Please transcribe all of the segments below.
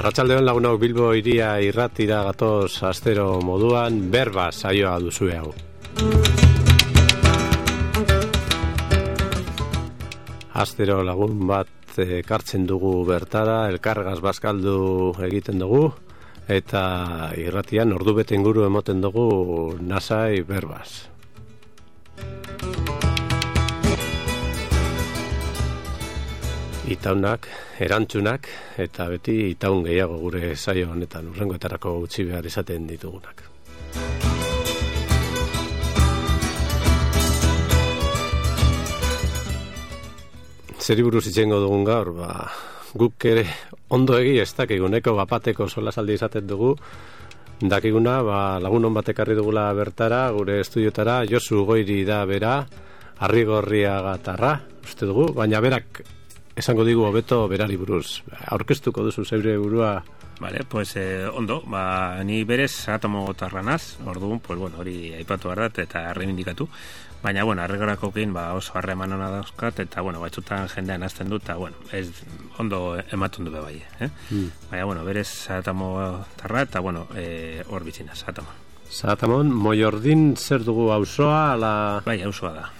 Arratsaldeon lagunok, Bilbo hiria irratira gatoz astero moduan, berba saioa duzue hau. Astero lagun bat ekartzen dugu bertara, elkargaz bazkaldu egiten dugu, eta irratian ordubete inguru emoten dugu nasai berbaz. Itaunak, erantzunak, eta beti itaun gehiago gure saio honetan, urrengoetarako utzi behar izaten ditugunak. Zeri buruz itxengo dugun gaur, guk ere ondo egi ez dakiguneko bapateko solasaldi izaten dugu, dakiguna lagun hon bat ekarri dugula bertara, gure estudiotara, Josu Goiri da bera, Arrigorriagatarra, uste dugu, baina berak esango digu hobeto berari buruz. Aurkeztuko duzu zeure burua. Vale, pues ondo, ni berez Zaratamotarra naz, orduan, pues bueno, hori aipatu behar eta reivindikatu. Baina, bueno, Arrigorakokin oso harreman hona dauzkat, eta, bueno, batzutan jendean azten dut, eta, bueno, ez ondo ematen du bai, Baina, bueno, berez Zaratamotarra, eta, bueno, hor bitzina, Zaratamon. Zaratamon, Moiordin zer dugu auzoa, ala... Bai, auzoa da.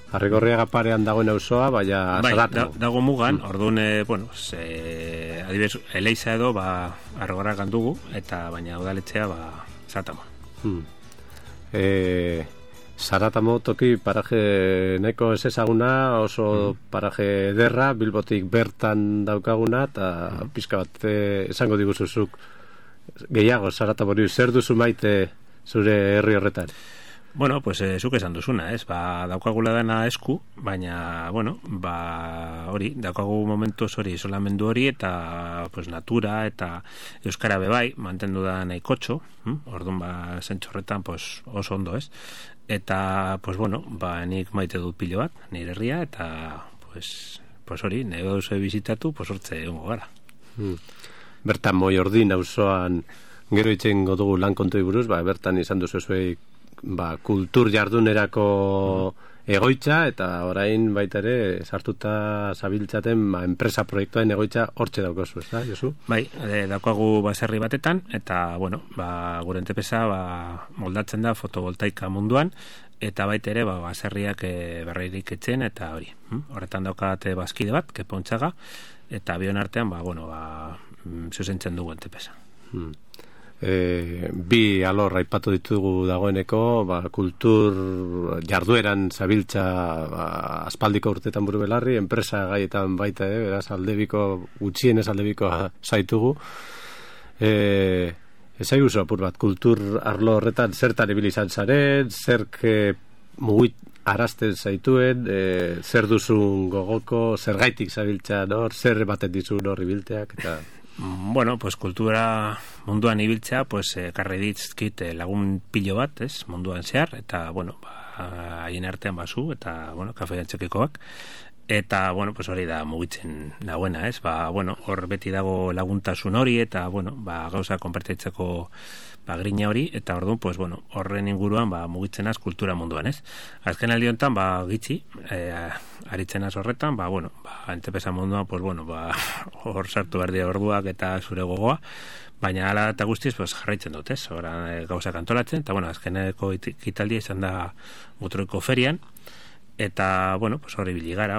Arrigorriaga parean dagoen auzoa, baina Zaratamon. Dago mugan, orduan, bueno, adibidez, Eleiza edo, Arrigorriagan dugu, eta baina udaletxea, Zaratamon. Zaratamo toki paraje nahiko ez ezaguna, oso paraje ederra, Bilbotik bertan daukaguna, eta pizka bat esango diguzuzuk gehiago Zaratamori, zer duzu maite zure herri horretan? Bueno, pues zuk esan duzuna, daukagula dena esku, baina, bueno, hori, daukagu momentuz hori isolamendu hori, eta, pues, natura, eta euskara bebai, mantendu da nahikotxo, orduan, zentxorretan, pues, oso ondo, eta, pues, bueno, nik maite dut pilo bat, nire herria, eta, pues hori, nego duzu bizitatu, pues, hortze egongo gara. Bertan Moiordin auzoan gero itxengo dugu lan kontoi buruz, bertan izan duzu zuei kultur jardunerako egoitza, eta orain baita ere sartuta zabiltzaten enpresa proiektuen egoitza hortxe daukazu, ez da, Josu? Bai, daukagu baserri batetan, eta, bueno, gure entepesa moldatzen da fotovoltaika munduan, eta baita ere baserriak berreirik etzen, eta hori. Horretan daukate bazkide bat, Kepontxaga, eta bion artean, zuzentzen dugu entepesa. Bi alor aipatu ditugu dagoeneko, kultur jardueran zabiltza aspaldiko urtetan buru belarri, enpresa gaietan baita, beraz aldebiko, gutxienez aldebiko zaitugu. Ezai guzu apur bat, kultur arlo horretan zertan ibilizan zaren, zerk mugit arazten zaituen, zer duzun gogoko, zer gaitik zabiltzan hor, zer baten dizun hor ibilteak, eta... Bueno, pues kultura munduan ibiltzea, pues karri ditzkit lagun pilo bat, munduan zehar, eta, bueno, haien artean bazu, eta, bueno, kafe antxokikoak, eta, bueno, pues hori da mugitzen dagoena, bueno, hor beti dago laguntasun hori, eta, bueno, gauza konpertitzeko grina hori, eta orduan, pues, bueno, horren inguruan mugitzen az kultura munduan, Azken aldi honetan, gitxi, aritzen az horretan, bueno, entepesa munduan, pues, bueno, hor sartu behar dira orduak eta zure gogoa, baina ala eta guztiz, pues, jarraitzen dut, Hora gauzak antolatzen, eta, bueno, azkeneko ikitaldia izan da Mutroiko ferian, eta, bueno, pues, hori biligara,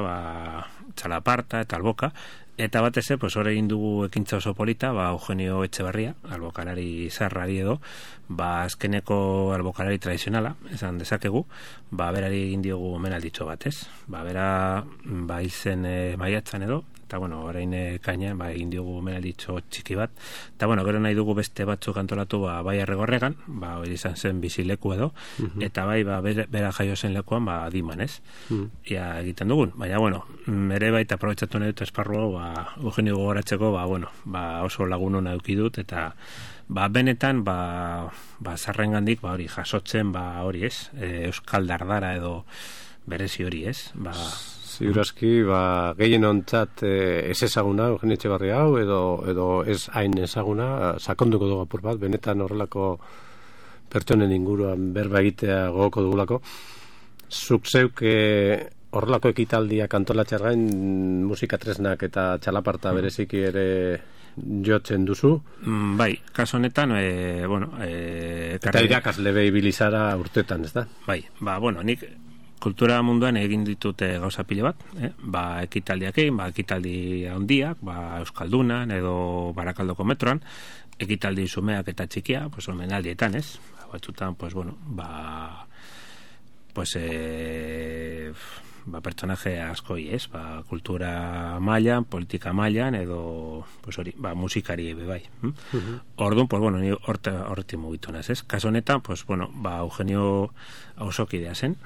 Txalaparta eta Alboka, eta batez, pues, hori egin dugu ekintza oso polita, Eugenio Etxebarria, albokalari zarrari edo, azkeneko albokalari tradizionala, esan dezakegu, berari egin diogu omenalditxo bat, bera, izen maiatzan edo, eta, bueno, orain kaina, egin diogu omenalditxo txiki bat, eta, bueno, gero nahi dugu beste batzuk antolatu, Arrigorregan, hori izan zen bizileku edo, eta bera jaio zen lekuan, Diman, ia egiten dugun, baina, bueno, ere baita aprobetxatu nahi dut esparru, Eugenio gogoratzeko, oso lagun hona eukidut, eta benetan, zarrengandik, hori jasotzen, hori Euskal Dardara edo berezi hori, Ziurazki, gehien ontzat ez ezaguna, Eugenio Etxebarria hau, edo ez hain ezaguna, sakonduko dugu apur bat, benetan horrelako pertsonen inguruan berba egitea gogoko dugulako. Zuk zeuk horrelako ekitaldiak antolatxar gain musika tresnak eta txalaparta bereziki ere jotzen duzu. Bai, kaso honetan, eta irakasle bilizara urtetan, ez da? Bai, nik kultura munduan egin ditute gauza pile bat, ekitaldiak egin, ekitaldi handiak, Euskaldunan edo Barakaldoko metroan, ekitaldi sumeak eta txikia, omenaldietan, ez? Batzutan, pertsonaje askoi, ez? Kultura mailan, politika mailan, edo, musikari bai. Orduan, ni horretik mugitu naz, ez? Kaso honetan, Eugenio Ausokidea zen,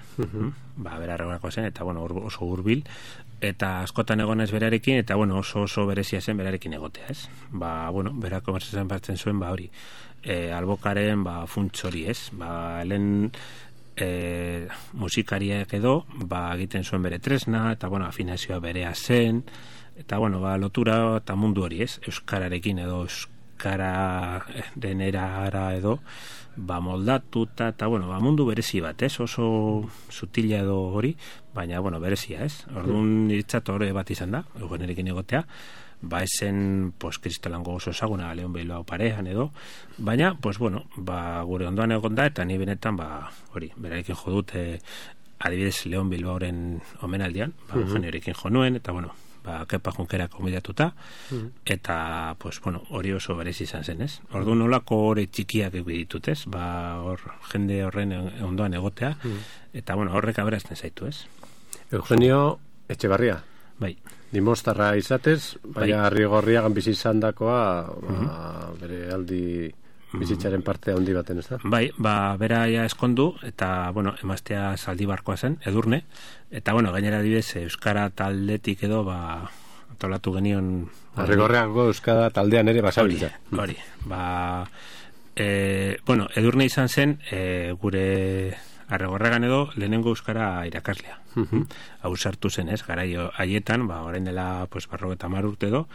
berarregoako zen, eta, oso hurbil, eta askotan egonez berarekin, eta, oso berezia zen berarekin egotea, ez? Berako konbersatzen batzen zuen, hori, albokaren, funts hori, ez? Lehen musikariak edo egiten zuen bere tresna eta afinazioa berea zen eta lotura eta mundu hori, ez? Euskararekin edo euskararen erara edo moldatu eta mundu berezi bat, ez? Oso sutila edo hori, baina berezia, ez? Orduan iritzat hori bat izan da, Eugenerekin egotea, esen, kristolango oso ezaguna Leon Bilbao parean edo, baina, gure ondoan egon da, eta ni benetan, hori, berarekin jo dute, adibidez Leon Bilbaoren omenaldian, Eugeniorekin jo nuen, eta, Kepa Junkerak konbidatuta, eta, hori oso berezi izan zen, ez? Orduan nolako hori txikiak ditut, ez? Jende horren ondoan egotea, eta, horrek aberazten zaitu, ez? Eugenio Etxebarria. Bai. Dimostarra izatez, baina Arrigorriagan bizi izan dakoa, bere aldi bizitzaren parte handi baten, ez da? Bai, bera eskondu, eta, emaztea Zaldibarkoa zen, Edurne, eta, gainera adibidez, Euskara taldetik edo, antolatu genion... Arrigorriago Euskara taldean ere basabiltza. Hori, Edurne izan zen, gure... Arrigorriagan edo lehenengo euskara irakaslea. Hau sartu zen, ez? Garai haietan, orain dela 50 urte edo,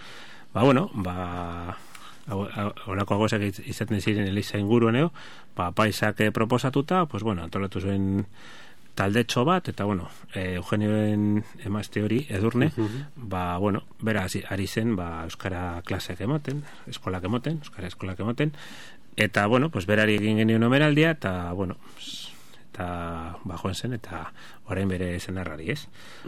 holako agozak izaten ziren Eliza inguruan edo, paisak proposatuta, antolatu zuen taldetxo bat, eta Eugenioen emazte hori, Edurne, bera ari zen, euskara klaseak emoten, eskolak emoten, euskara eskolak emoten, eta, berari egin genion omenaldia, eta, joan zen, eta orain bere zenarrari, ez?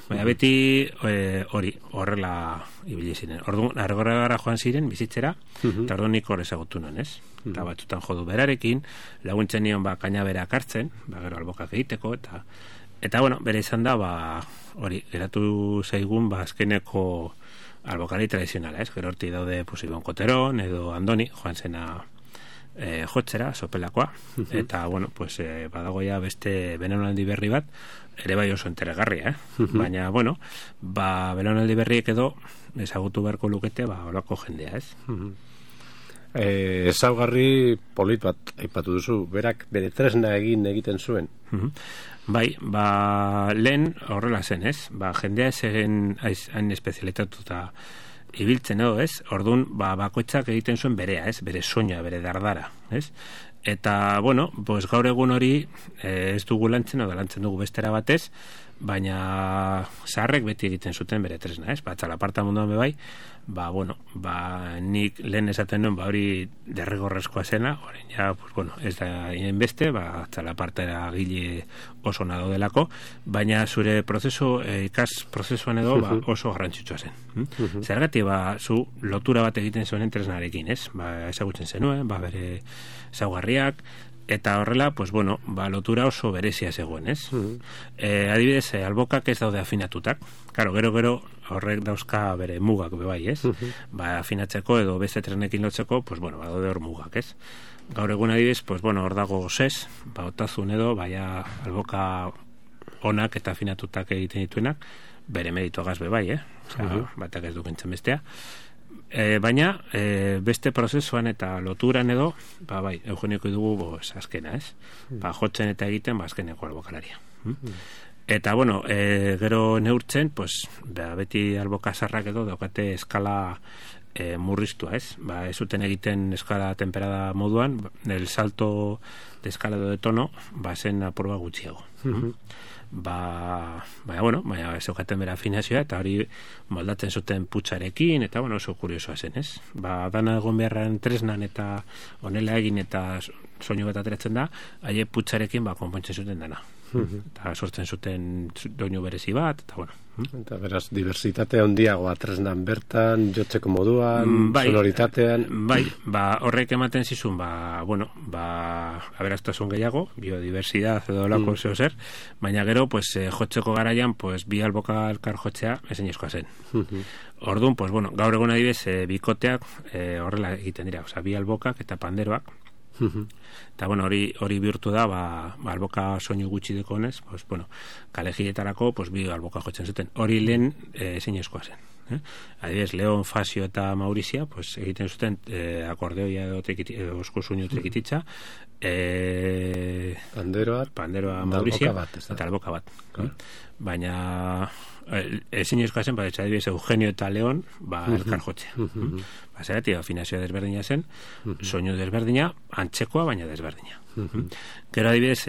Baina beti horrela ibili ziren. Orduan, Arrigorriagara joan ziren bizitzera, eta orduan nik hor ezagutu nuen, ez? Eta batzutan jodu berarekin, laguntzen nion kaina berak hartzen, gero albokak egiteko, eta bere izan da, hori, geratu zaigun, azkeneko albokari tradizionala, ez? Gero horti daude, Ibon Koteron, edo Andoni, joan zena jotzera, sopelakoa, eta, badagoia beste belaunaldi berri bat, ere bai oso interesgarria, baina, belaunaldi berriek edo ezagutu beharko lukete, holako jendea, ez? Ezaugarri polit bat aipatu duzu, berak bere tresna egiten zuen. Bai, lehen horrela zen, ez? Jendea ez egen hain espezialitatuta ibiltzen edo, ez? Orduan, bakoitzak egiten zuen berea, ez? Bere soina, bere dardara, ez? Eta, gaur egun hori ez dugu lantzen, edo lantzen dugu bestera batez, baina zaharrek beti egiten zuten bere tresna, ez? Txalaparta munduan bebai, nik lehen esaten nuen, hori derrigorrezkoa zena, orain ja, ez da inen beste, txalapartera gile oso nado delako, baina zure ikas prozesuan edo oso garrantzitsua zen. Zergatik, zu lotura bat egiten zuen tresnarekin, ez? Ezagutzen zenuen, bere ezaugarriak, eta horrela, lotura oso berezia zegoen, ez? Adibidez, albokak ez daude afinatutak. Karo, gero horrek dauzka bere mugak bebai, ez? Afinatzeko edo beste tresnekin lotzeko, badaude hor mugak, ez? Gaur egun adibidez, hor dago gozez, otazun edo, alboka onak eta afinatutak egiten dituenak, bere meditogaz bebai, batak ez dukentzen bestea. Baina, beste prozesuan eta loturan edo, Eugenioko dugu azkena, ez? Jotzen eta egiten, azkeneko albokalaria. Eta, gero neurtzen, beti alboka zarrak edo daukate eskala murriztua, ez? Ez zuten egiten eskala temperada moduan, el salto de escalado de tono, zen apurba gutxiago. Baina zeukaten bera afinazioa, eta hori moldatzen zuten putxarekin, eta oso kuriosoa zen, ez? Dana egon beharren tresnan eta honela egin eta soinu bat ateratzen da, haie putxarekin konpontzen zuten dana. Eta sortzen zuten doinu berezi bat, eta Eta beraz, diversitatea handiagoa tresnan bertan, jotzeko moduan, sonoritatean. Horrek ematen zizun, aberastasun gehiago, biodiversidad edo lako zeo zer, baina gero, jotzeko garaian, bi alboka elkar jotzea ezinezkoa zen. Orduan, gaur egun adibez, bikoteak horrela egiten dira, bi albokak eta panderoak, eta hori bihurtu da alboka soinu gutxi dekonez, kalejietarako bi alboka jotzen zuten, hori lehen ezinezkoa zen. Adibidez, Leon, Fasio eta Maurizia egiten zuten akordeoia edo osko soinu trekititza, panderoa Maurizia eta alboka bat. Baina ezinezkoa zen, adibidez, Eugenio eta Leon elkar jotzea. Zeratik, afinazioa desberdina zen, soinu desberdina, antzekoa, baina desberdina. Gero adibidez,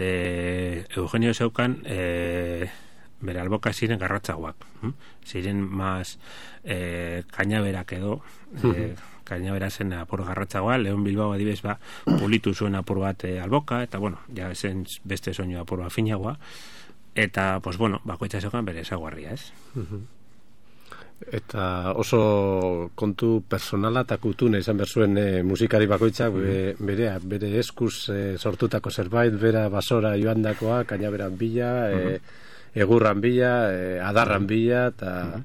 Eugenio zeukan bere alboka ziren garratzagoak. Ziren maz kainaberak edo, kainabera zen apur garratzagoa, Leon Bilbao adibidez pulitu zuen apur bat alboka, eta ja zen beste soinu apur bat finagoa, eta, bakoitza zeukan bere ezaguarria, ez? Eta oso kontu personala eta kutune izan berzuen musikari bakoitzak bere eskuz sortutako zerbait, bera basora joandakoa, kainaberan bila, egurran bila, adarran bila, eta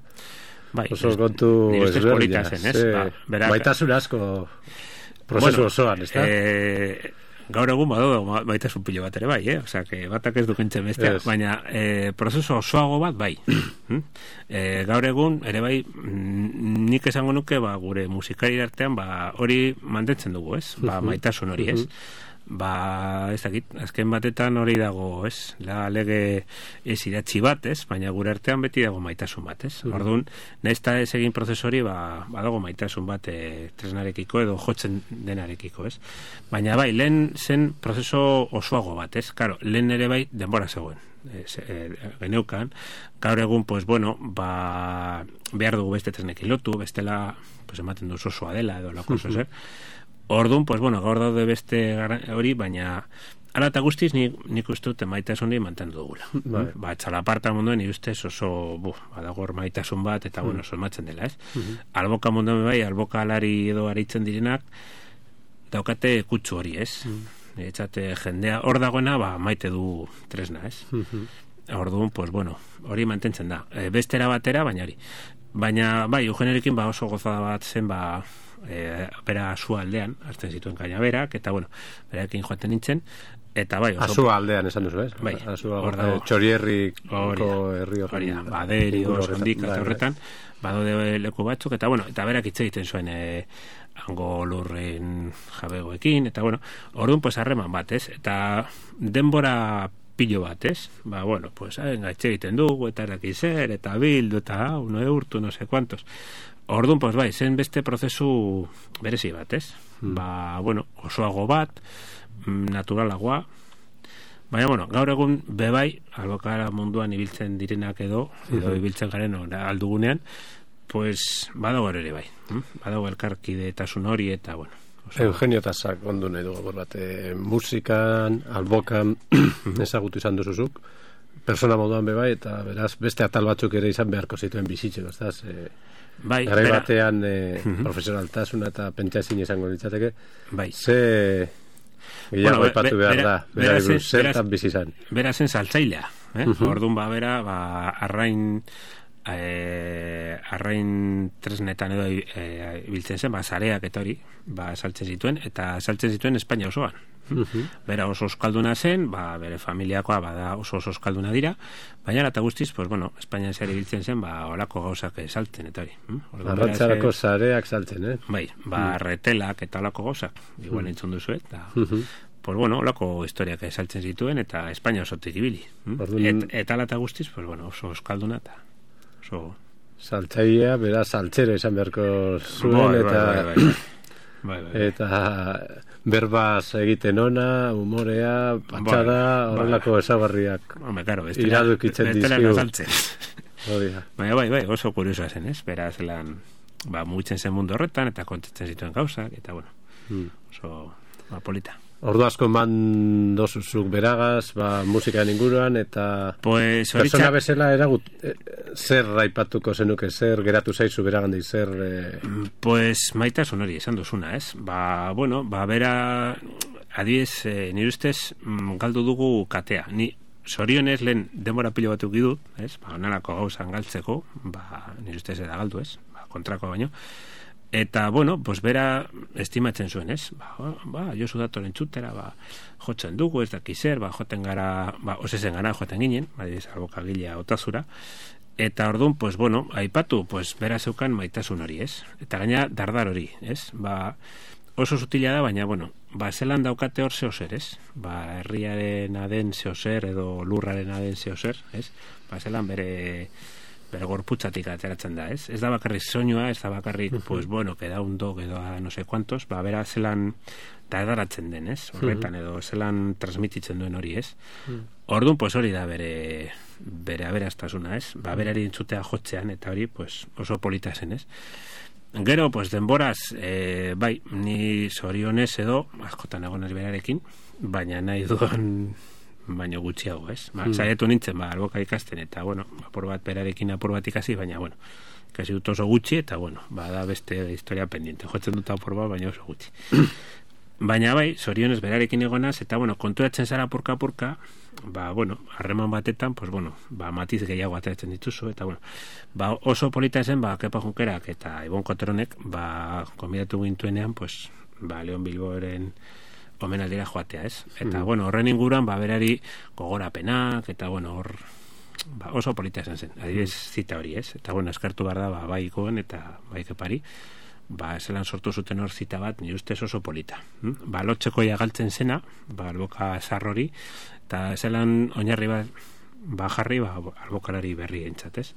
oso kontu ezberdina. Baitasun asko prozesu osoan, ez da? Gaur egun baitasun pilo bat ere bai, osea, batak ez dukentzen bestea, baina prozesu osoago bat bai. Gaur egun ere bai, nik esango nuke gure musikari artean hori mantentzen dugu, ez? Maitasun hori, ez? Ez dakit, azken batetan hori dago, ez? Lege ez idatzi bat, ez? Baina gure artean beti dago maitasun bat, ez? Orduan, nahiz eta ez egin prozesori, badago maitasun bat tresnarekiko edo jotzen denarekiko, ez? Baina bai, lehen zen prozeso osoago bat, ez? Karo, lehen ere bai denbora zegoen. Geneukan, gaur egun, behar dugu beste tresnekin lotu, bestela, ematen duz osoa dela edo lako oso zer. Orduan, gaur daude beste hori, baina ala eta guztiz nik uste dut maitasun hori mantendu dugula. Txalaparta munduen ustez oso badago maitasun bat eta solmatzen dela, ez? Alboka munduen bai, alboka alari edo aritzen direnak daukate kutsu hori, ez? Etxate jendea hor dagoena maite du tresna, ez? Orduan, hori mantentzen da. Bestera batera, baina hori. Baina, Eugeniorekin oso gozada bat zen, bera Asua aldean, hartzen zituen kainaberak, eta, berarekin joaten nintzen, eta Asua aldean esan duzu, ez? Txorierriko herri horren. Baderi, Orondik, eta horretan, badode leku batzuk, eta, eta berak hitz egiten zuen hango lurren jabegoekin, eta, orduan, harreman bat, ez? Eta denbora pilo bat, ez? Gaitxe egiten dugu, eta eraki zer, eta bildu, eta urtu, no sé cuantos. Orduan, zen beste prozesu berezi bat, ez? Osoago bat, naturalagoa, baina, gaur egun bebai, albokara munduan ibiltzen direnak edo ibiltzen garen aldugunean, badago ere bai. Badago elkarkide eta hori, eta, Eugenio Tasak ondu nahi dugu bat, musikan, albokan ezagutu izan duzuzuk, persona moduan bebai, eta beraz beste atal batzuk ere izan beharko zituen bizitzeko, ez da? Garai batean profesionaltasuna eta pentsazin izango ditzateke, ze gehiago aipatu behar da, zertan bizi izan. Bera zen saltzailea, orduan bera arrain tresnetan edo ibiltzen zen, zareak eta hori saltzen zituen, eta saltzen zituen Espainia osoan. Bera oso euskalduna zen, bere familiakoa oso euskalduna dira, baina eta guztiz, Espainia zare ibiltzen zen, olako gauzak saltzen eta hori. Arrantzarako zareak saltzen, retelak eta olako gauzak, igual entzun duzu, eta olako historiak saltzen zituen, eta Espainia osotik ibili. Eta ala eta guztiz, oso euskalduna eta oso saltzailea, beraz, saltzero izan beharko zuen, Bai. Eta berbaz egiten ona, humorea, patxada, horrelako ezagarriak iradukitzen dizkigu. Bai, oso kuriosoa zen, ez? Bera zelan, mugitzen zen mundu horretan, eta kontatzen zituen gauzak, eta bueno, oso polita. Ordu asko eman dozuzuk beragaz, musikaen inguruan, eta persona bezala zer raipatuko zenuke, zer geratu zaizu beragandik, zer... Maitasun hori esan duzuna, ez? Bera, adiez, nire ustez, galdu dugu katea. Ni zorionez lehen denbora pilo batuk idut, ez? Onelako gauzan galtzeko, nire ustez eda galdu, ez? Kontrako baino. Eta, bera estimatzen zuen, ez? Josu datoren txutera, jotzen dugu, ez dakizer, joten gara, osezen gara joten ginen, albokagilea otazura, eta orduan, aipatu, bera zeukan maitasun hori, ez? Eta gaina dardar hori, ez? Oso sutila da, baina, zelan daukate hor zeozer, ez? Herriaren aden zeozer, edo lurraren aden zeozer, ez? Zelan bere gorputzatik ateratzen da, ez? Ez da bakarrik soinua, ez da bakarrik, queda un dog edo no sé cuantos, bera zelan dardaratzen den, ez? Horretan edo zelan transmititzen duen hori, ez? Orduan, hori da bere aberastasuna, ez? Berari entzutea jotzean, eta hori, oso polita zen, ez? Gero, denboraz, ni zorionez edo, askotan egonez berarekin, baina nahi duan baino gutxiago, ez? Zaiatu nintzen, alboka ikasten, eta, apur bat berarekin apur bat ikasi, baina, kasi dut oso gutxi, eta, da beste historia pendiente. Jotzen dut apur bat, baina oso gutxi. Baina, zorionez berarekin egonaz, eta, konturatzen zara apurka, harreman batetan, matiz gehiago ateratzen dituzu, eta, oso polita zen, Kepa Junkerak eta Ibon Koteronek, konbidatu gintuenean, Leon Bilboren omenaldira joatea, ez? Eta, horren inguruan, berari gogorapenak, eta, oso polita esan zen. Adibidez zita hori, ez? Eta, eskartu behar da, bai Ikoen eta bai Kepari, zelan sortu zuten hor zita bat, nire ustez oso polita. Lotxekoia galtzen zena, alboka zarrori, eta zelan oinarri bat jarri, albokalari berri entzat, ez?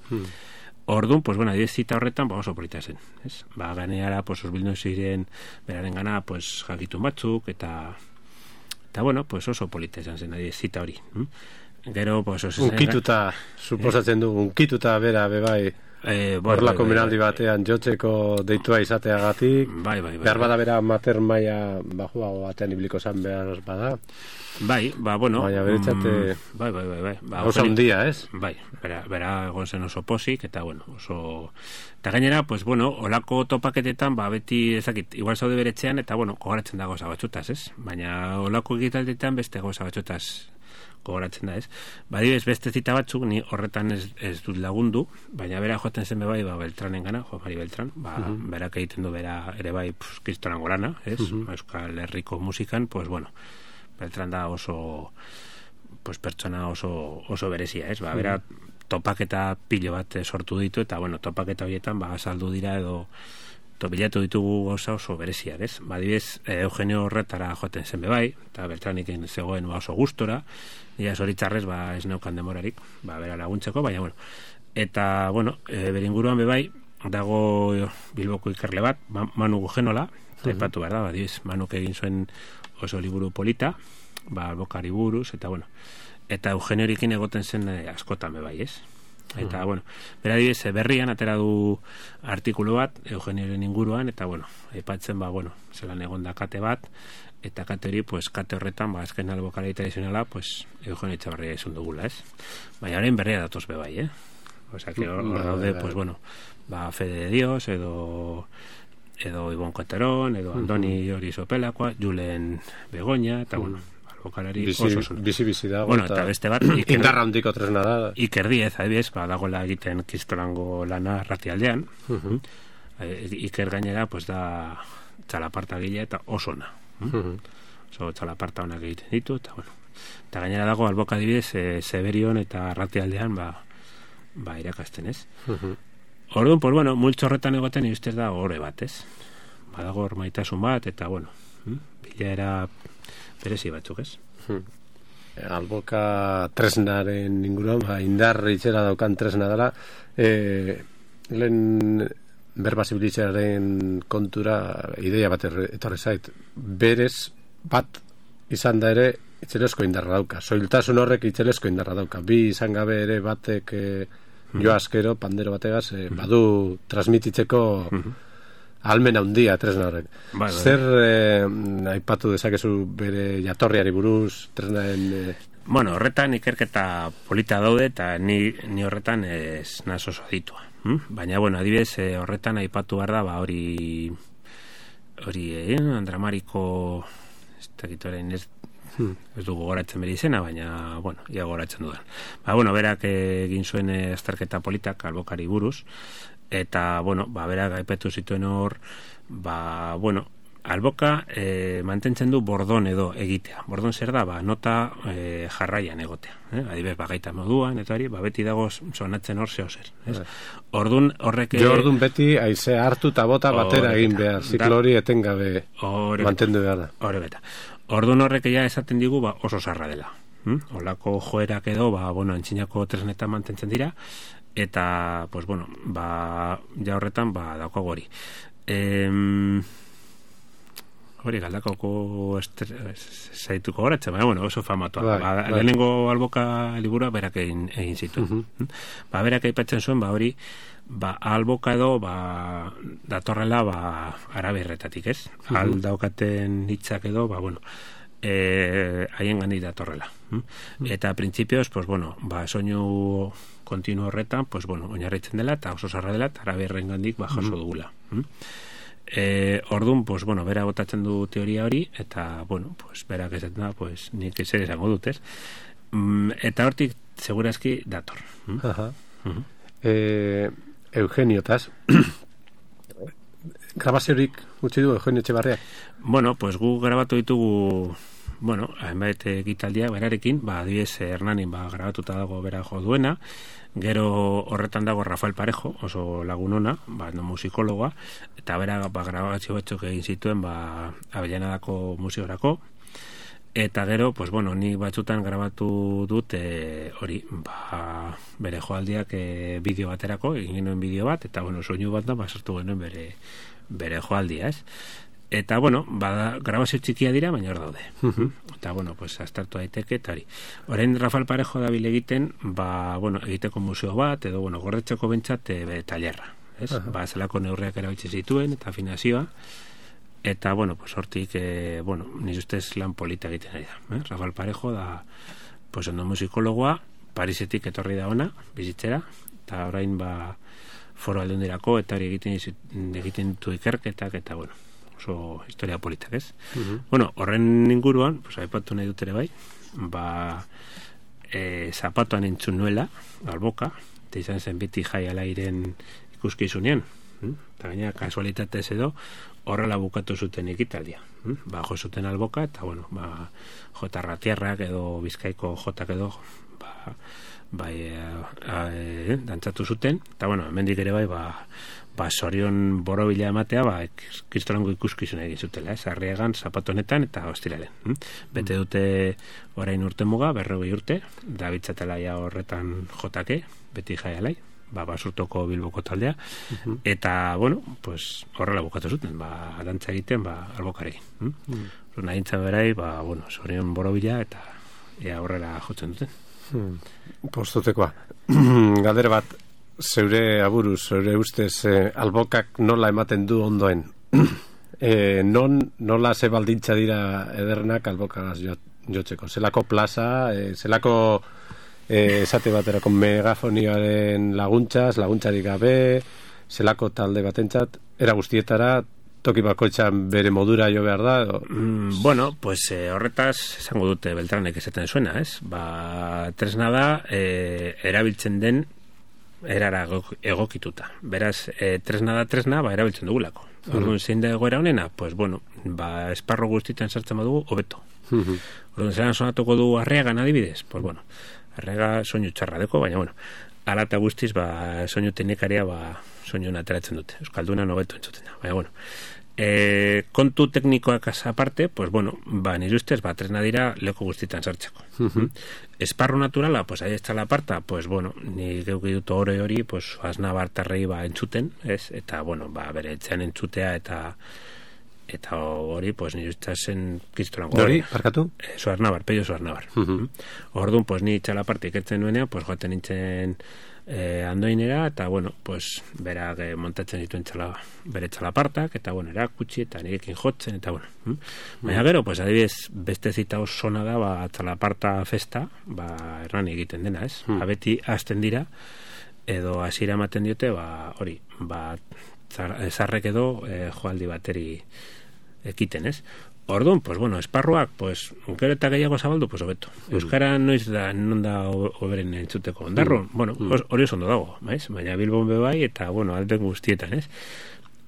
Orduan, adibidez zita horretan, oso polita zen, ez? Ganeara, osbildu ziren beraren gana, jakitun batzuk, eta oso polita esan zen, adibidez zita hori. Gero, unkituta, suposatzen du, unkituta bera, bebai, horrelako menaldi batean jotzeko deitua izateagatik, behar bada bera mater maia bajuago batean ibiliko zan behar bada. Baina beretzate oso hundia, ez? Bera egon zen oso posik, eta oso... Eta gainera, olako topaketetan, beti ezakit, igual zaude beretzean, eta gogoratzen da goza batxutaz, ez? Baina olako egitaldetan beste goza batxutaz gogoratzen da, ez? Badibez beste zita batzuk, ni horretan ez dut lagundu, baina bera joaten zen bebai, Beltranen gana, Mari Beltran, berak egiten du bera ere bai kristorango lana, ez? Euskal Herriko musikan, Beltran da oso pertsona oso berezia, ez? Bera topaketa pilo bat sortu ditu, eta topaketa horietan saldu dira edo bilatu ditugu gauza oso berezia, ez? Badibez, Eugenio Horretara joaten zen bebai, eta Beltraniken zegoen oso gustora, ia zoritzarrez, ez neukan demorarik, bera laguntzeko, baina, eta, beringuruan bebai, dago Bilboko ikerle bat, Manu Gugenola, aipatu behar da, badibez, Manuk egin zuen oso liburu polita, albokari buruz, eta Eugeniorekin egoten zen askotan bebai, ez? Eta, bera dibez, berrian atera du artikulu bat, Eugenioren inguruan, eta, aipatzen, zelan egon da kate bat, eta kate hori, kate horretan, azken albokari tradizionala, Eugenio Etxabarria izan dugula, ez? Baina horrein berria datoz bebai, Osa, que hor daude, Fede de Dios, edo Ibon Koterón, edo Andoni hori Sopelakoa, Julen Begoña, eta, bokalari oso zuen. Bizi dago. Eta beste bat, indarra handiko tresna da. Iker Diez, adibidez, dagoela egiten kristorango lana Arratialdean. Iker gainera, da txalaparta gile eta osona. Txalaparta honak egiten ditu, eta gainera dago alboka adibidez, Zeberion eta Arratialdean, irakasten, ez? Orduan, multzo horretan egoten ustez da horre bat, ez? Badago hor maitasun bat, eta, bilera berezi batzuk, ez? Alboka tresnaren inguruan, indar itxera daukan tresna dela, lehen berba zibilizaren kontura ideia bat etorri zait. Berez bat izan da ere itzelesko indarra dauka. Soiltasun horrek itzelesko indarra dauka. Bi izan gabe ere batek jo askero, pandero bategaz, badu transmititzeko almen handia tresna horrek. Zer aipatu dezakezu bere jatorriari buruz, tresnaren... Bueno, horretan ikerketa polita daude eta ni horretan ez naz oso aditua. Baina, bueno, adibidez, horretan aipatu behar da, hori Andramariko ez du gogoratzen bere izena, baina, bueno, ia gogoratzen dudan. Bueno, berak egin zuen azterketa politak albokari buruz, eta, bueno, berak aipatu zituen hor, bueno, alboka mantentzen du bordon edo egitea. Bordon zer da, nota jarraian egotea. Adibidez, gaita moduan, eta hori, beti dago sonatzen hor zeo zer. Ordun horrek... Ordun beti haize hartu eta bota batera egin behar. Ziklo hori etengabe mantendu behar da. Hore beta. Ordun horrek ja esaten digu oso zarra dela. Olako joerak edo, antzinako tresnetan mantentzen dira, eta, pues, bueno, ja horretan, daukago hori. Hori galdakoko zaituko horatzen, baina oso famatua. Lehenengo alboka liburua berak egin zituen. Berak aipatzen zuen, hori alboka edo datorrela araberretatik, ez? Aldaukaten hitzak edo, haien gandik datorrela. Eta printzipioz, soinu kontinu horretan, oinarritzen dela, eta oso zarra dela, eta araberren gandik jaso dugula. Ordun, bera botatzen du teoria hori, eta, berak ez da, nik zer esango dut, ez? Eta hortik, segurazki, dator. Eugeniotas, grabaziorik utzi du Eugenio Etxebarriak? Gu grabatu ditugu, hainbait ekitaldia berarekin, adibidez, Hernanin grabatuta dago bera jo duena, gero horretan dago Rafael Parejo, oso lagunona, musikologoa, eta bera grabazio batzuk egin zituen Avellanadako museorako, eta gero, ni batzutan grabatu dut hori, bere joaldiak bideo baterako, egin genuen bideo bat, eta soinu bat da, sartu genuen bere joaldia, ez? Eta, grabazio txikia dira, baina hor daude. Eta, aztertu daiteke, eta hori. Orain Rafael Parejo dabil egiten, egiteko museo bat, edo, gordetzeko bentsat, tailerra. Zelako neurriak erabitze zituen, eta afinazioa. Eta, hortik, nire ustez lan polita egiten ari da. Rafael Parejo da, ondo musikologoa, Parisetik etorri da ona, bizitzera, eta orain, foro aldundirako, eta hori egiten ditu ikerketak, eta, oso historia politak, ez? Horren inguruan, aipatu nahi dut ere bai, zapatuan entzun nuela, alboka, eta izan zen beti jai alairen ikuskizunean, eta gaina kasualitatez edo, horrela bukatu zuten ekitaldia. Jo zuten alboka, eta, jota ratiarrak edo bizkaiko jotak edo, dantzatu zuten, eta, hemendik ere bai, sorion borobila ematea, kristolango ikuskizuna egin zutela, Arriagan, zapatonetan eta ostiralen. Bete dute orain urte muga, 40 urte, da bitzatela ja horretan jotake, beti jaialai, basurtoko Bilboko taldea, eta, horrela bukatu zuten, dantza egiten, albokarekin. Nahintza berai, sorion borobila, eta horrela jotzen duten. Postutekoa. Galdera bat, zeure aburuz, zeure ustez, albokak nola ematen du ondoen? Nola ze baldintza dira edernak albokagaz jotzeko? Zelako plaza, zelako esate baterako megafonioaren laguntzarik gabe, zelako talde batentzat, era guztietara, toki bakoitzan bere modura jo behar da? Horretaz esango dute Beltranek esaten zuena, ez? Tresna da, erabiltzen den erara egokituta. Beraz, tresna da tresna, erabiltzen dugulako. Orduan, zein da egoera honena? Esparro guztietan sartzen badugu, hobeto. Orduan, zelan sonatuko du Arriagan adibidez? Arriaga soinu txarra deko, baina, ala eta guztiz, soinu teknikaria, soinu ateratzen dute. Euskalduna hobeto entzuten da. Baina, Kontu teknikoak aparte, pues bueno, nire ustez, tresna dira leku guztietan sartzeko. Esparru naturala, pues ahi la parta, pues bueno, ni geuki dut hori, pues aznabartarrei entzuten, ez? Eta, bueno, bere etxean entzutea eta hori, pues nire ustez kristolango. Hori, parkatu? Suarnabar, Pello Suarnabar. Orduan, pues ni txala partik etzen nuenean, pues joaten nintzen andoinera, eta bueno, pues berak montatzen dituen bere txalapartak, eta bueno, erakutsi, eta nirekin jotzen, eta bueno. Baina gero, pues adibidez, beste zita osona da, txalaparta festa, erran egiten dena, ez? Beti hasten dira, edo hasiera ematen diote, hori, zarrek edo joaldi bateri ekiten, ez? Orduan, pues bueno, esparruak, pues, gero eta gehiago zabaldu, pues hobeto. Euskara noiz da, non da hoberen entzuteko ondarro, bueno, hori oso ondo dago, baina Bilbon bai, eta, bueno, alden guztietan, ez?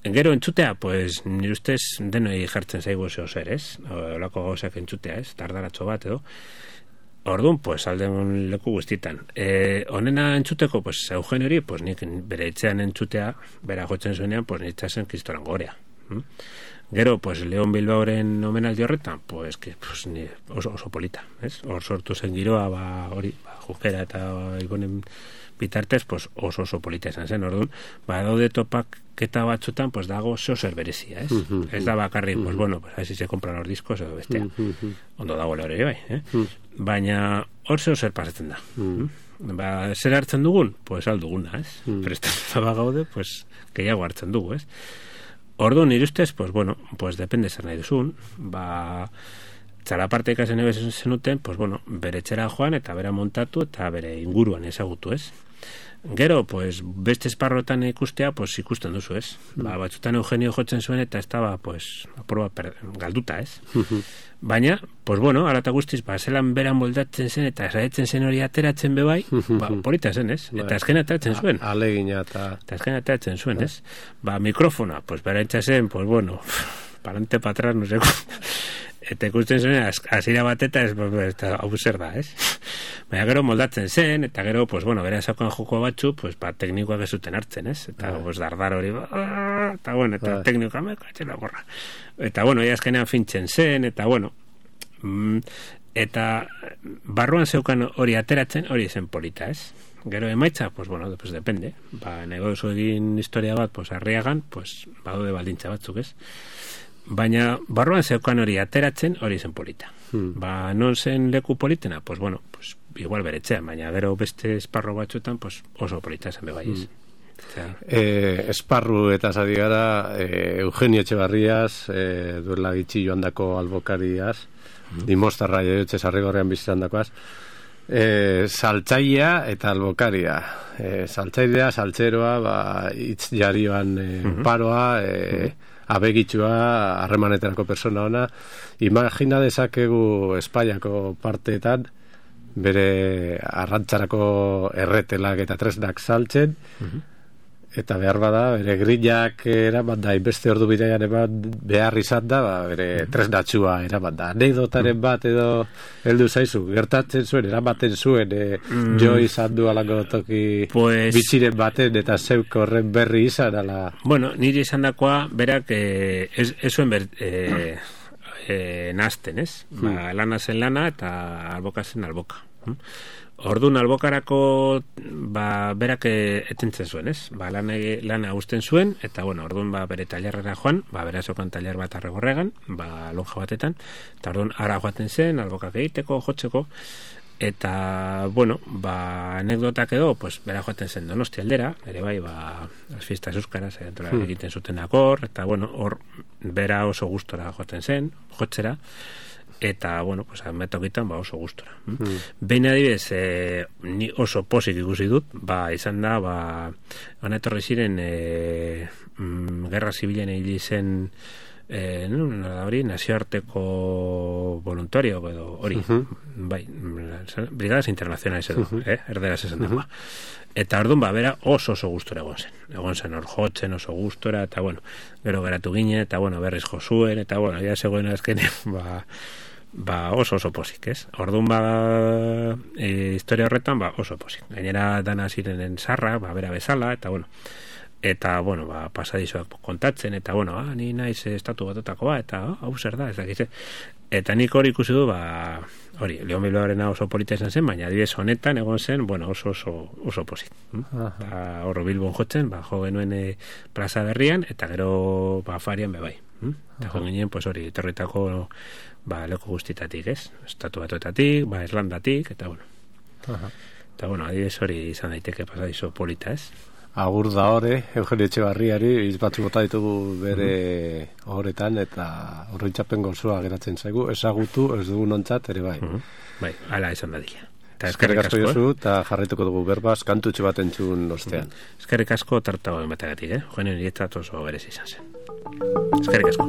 Gero entzutea, pues, nire ustez denoi jartzen zaigu zeo zer, ez? Olako gauzak entzutea, ez? Tardaratxo bat, edo. Orduan, pues, alden leku guztietan. Honena entzuteko, pues, Eugenio hori, pues, nik bere etxean entzutea, bera jotzen zuenean, pues, nitzazen Kristorango gorea. Gero, pues, Leon Bilbaoren omenaldi horretan, pues, ni oso polita, ez? Hor sortu zen giroa, hori, Jukera eta Ibonen bitartez, pues, oso polita esan zen, orduan, daude topaketa batzutan, pues, dago zer berezia, ez? Ez da bakarrik, pues, bueno, pues, así se compran los discos, edo bestea. Ondo dago lehore, bai, baina, hor zer pasatzen da. Zer hartzen dugun? Pues, alduguna, ez? Prestatuta gaude, pues, gehiago hartzen dugu, ez? Orduan, nire ustez, pues, bueno, pues, depende zer nahi duzun, txalaparte ikasen ebezen zenuten, pues, bueno, bere etxera joan, eta bera montatu, eta bere inguruan ezagutu, ez? Gero, pues, beste esparrotan ikustea, pues, ikusten duzu, ez? Batzutan Eugenio jotzen zuen, eta ez daba, pues, aproba galduta, ez? Baina, pues, bueno, ala eta guztiz, zelan bera moldatzen zen, eta saiatzen zen hori ateratzen bebai, polita zen, ez? Eta azken ateratzen zuen. Alegina eta... Eta azken ateratzen zuen, ez? Mikrofona, pues, bera entzazen, pues, bueno, parante patras, no sé, eta ikusten zuen, hasiera bat eta hau zer da, ez? Baina gero moldatzen zen, eta gero, pues, bueno, bera esakoan joko batzu, pues, teknikoak ez zuten hartzen, ez? Eta, pues, dardar hori, eta, bueno, eta teknikoa mekatxela borra. Eta, bueno, azkenean fintzen zen, eta, bueno, eta barruan zeukan hori ateratzen, hori zen polita, ez? Gero emaitza, pues, bueno, pues, depende. Negozu egin historia bat, pues, Arriagan, pues, badaude baldintza batzuk, ez? Baina barruan zeukan hori ateratzen, hori zen polita. Non zen leku politena? Pues bueno, pues igual beretzean, baina gero beste esparro batzuetan, pues oso polita zen bebaiz. Esparru eta zadi gara Eugenio Etxebarriaz, duela gitxi joandako albokariaz, dimostarra joiotxe sarrigorrean bizitandakoaz, saltzailea eta albokaria. Saltzailea, saltzeroa, hitz jarioan paroa, abegitxua, harremanetarako persona ona. Imagina dezakegu Espainiako parteetan bere arrantzarako erretelak eta tresnak saltzen, eta behar bada, bere grillak eraman da, inbeste ordu bidean behar izan da, bere tresnatxua eraman da. Anekdotaren bat edo heldu zaizu, gertatzen zuen, eramaten zuen, jo izan du alako toki bitxiren baten, eta zeuk horren berri izan, ala... Bueno, niri izan dakoa, berak, ez zuen nazten, ez? Lana zen lana, eta alboka zen alboka. Orduan albokarako berak etentzen zuen, ez? Lana usten zuen, eta bueno, orduan bere talerrera joan, bera zokan taler bat arregorregan, lonja batetan, eta orduan ara joaten zen, albokak egiteko, jotzeko, eta, bueno, anekdotak edo, pues, bera joaten zen Donosti aldera, ere bai, las fiestas euskaraz egiten zuten akor, eta, bueno, hor bera oso gustora joaten zen, jotzera, eta, bueno, pues, metokitan, oso gustora. Behin adibidez, ni oso posik ikusi dut, izan da, etorri ziren gerra zibilen egin zen hori, nazioarteko voluntario edo hori, bai, brigadas internacionales edo, erderaz esan dagoa. Eta orduan, bera oso gustora egon zen hor jotzen oso gustora, eta bueno, gero geratu ginen, eta bueno, berriz jo zuen, eta bueno, ja zegoen azkenean, oso posik, ez? Orduan, historia horretan, oso posik. Gainera dana zirenen zarra, bera bezala, eta bueno, eta, bueno, pasadizoak kontatzen, eta, bueno, ni naiz estatu batetakoa, eta, hau zer da, ez dakize. Eta nik hori ikusi du, hori, Leon Bilbaorena oso polita izan zen, baina adibidez honetan egon zen, bueno, oso posit. Eta horro Bilbon jotzen, jo genuen plaza berrian, eta gero afarian bebai. Eta jo ginen, pues hori, etorritako leku guztitatik, ez? Estatu batuetatik, Irlandatik, eta bueno. Eta bueno, adibidez hori izan daiteke pasadizo polita, ez? Agur da hore, Eugenio Etxebarriari, batzu bota ditugu bere horretan, eta horreitzapen gozoa geratzen zaigu, ezagutu, ez dugu nontzat, ere bai. Bai, ala izan dadila. Eskerrik asko jozu, eta jarraituko dugu berbaz, kantutxe bat entzun ostean. Eskerrik asko tartago emategatik, Eugenio niretzat oso berez izan zen. Eskerrik asko.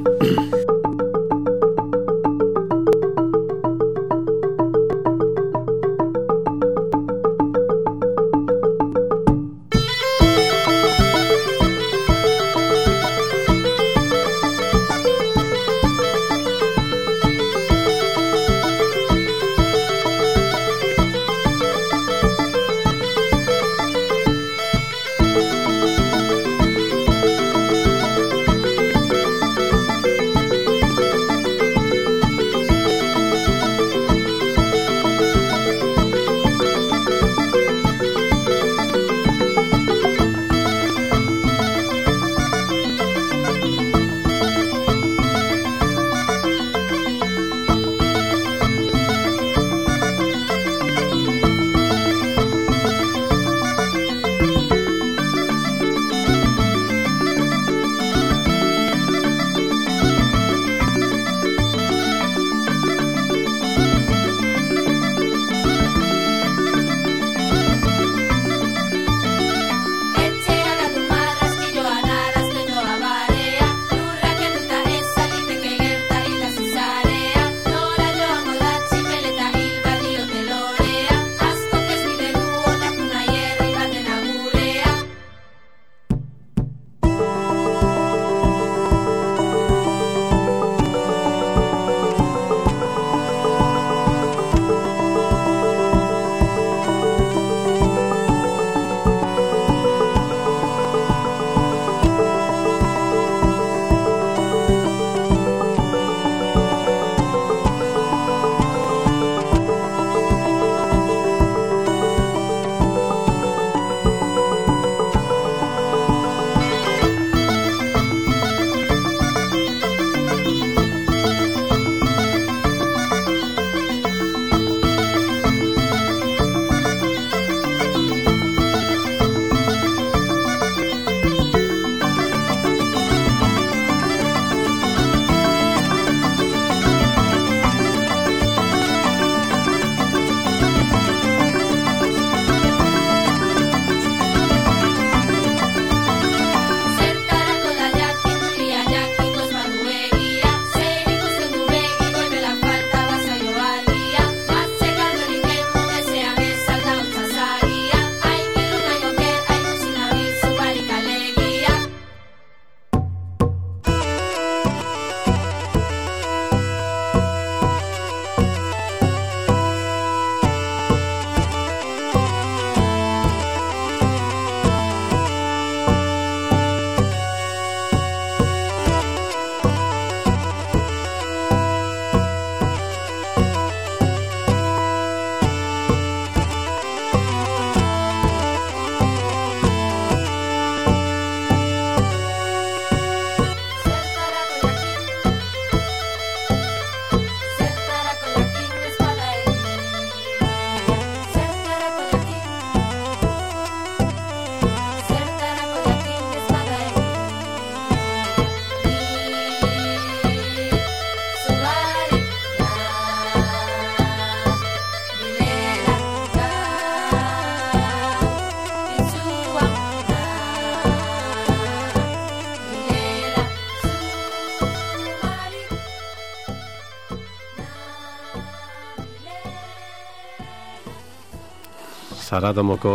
Zaratomoko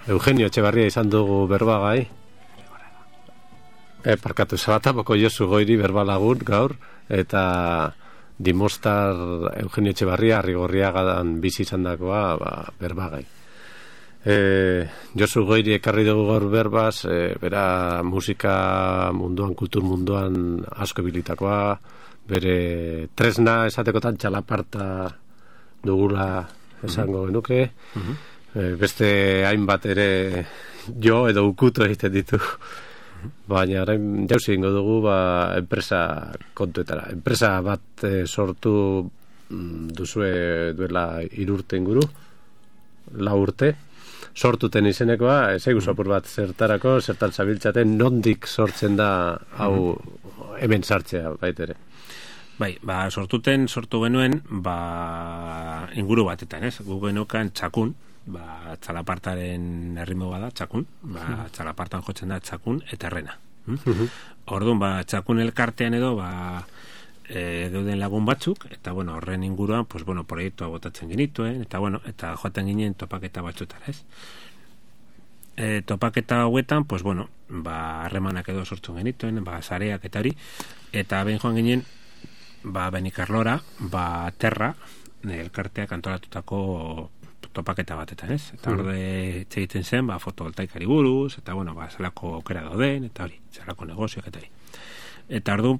Eugenio Etxebarria izan dugu berbagai. Parkatu, Zaratomoko Josu Goiri berbalagun gaur, eta Dimostar Eugenio Etxebarria Arrigorriagadan bizi izan dakoa berbagai. Josu Goiri ekarri dugu gaur berbaz, bera musika munduan, kultur munduan asko bilitakoa, bere tresna esatekotan txalaparta dugula esango genuke, beste hainbat ere jo edo ukutu egiten ditu, baina orain jauzi ingo dugu enpresa kontuetara. Enpresa bat sortu duzue duela 3 urte inguru, 4 urte, sortuten izenekoa, ezaigu apur bat zertan zabiltzaten, nondik sortzen da hau hemen sartzea baitere. Bai, sortu genuen, inguru batetan, ez? Gu genukan Txakun, txalapartaren erritmo bada, Txakun, txalapartan jotzen da Txakun eta Errena. Orduan, Txakun elkartean edo, geuden lagun batzuk, eta horren inguruan, proiektua botatzen genituen, eta joaten ginen topaketa batzutara, ez? Topaketa hauetan, harremanak edo sortzen genituen, sareak eta hori, eta behin joan ginen, Benikarlora, Terra, elkarteak antolatutako topaketa batetan, ez? Eta horde txegiten zen, fotovoltaikari buruz, eta zelako aukera dauden, eta hori, zelako negozioak eta hori. Eta orduan,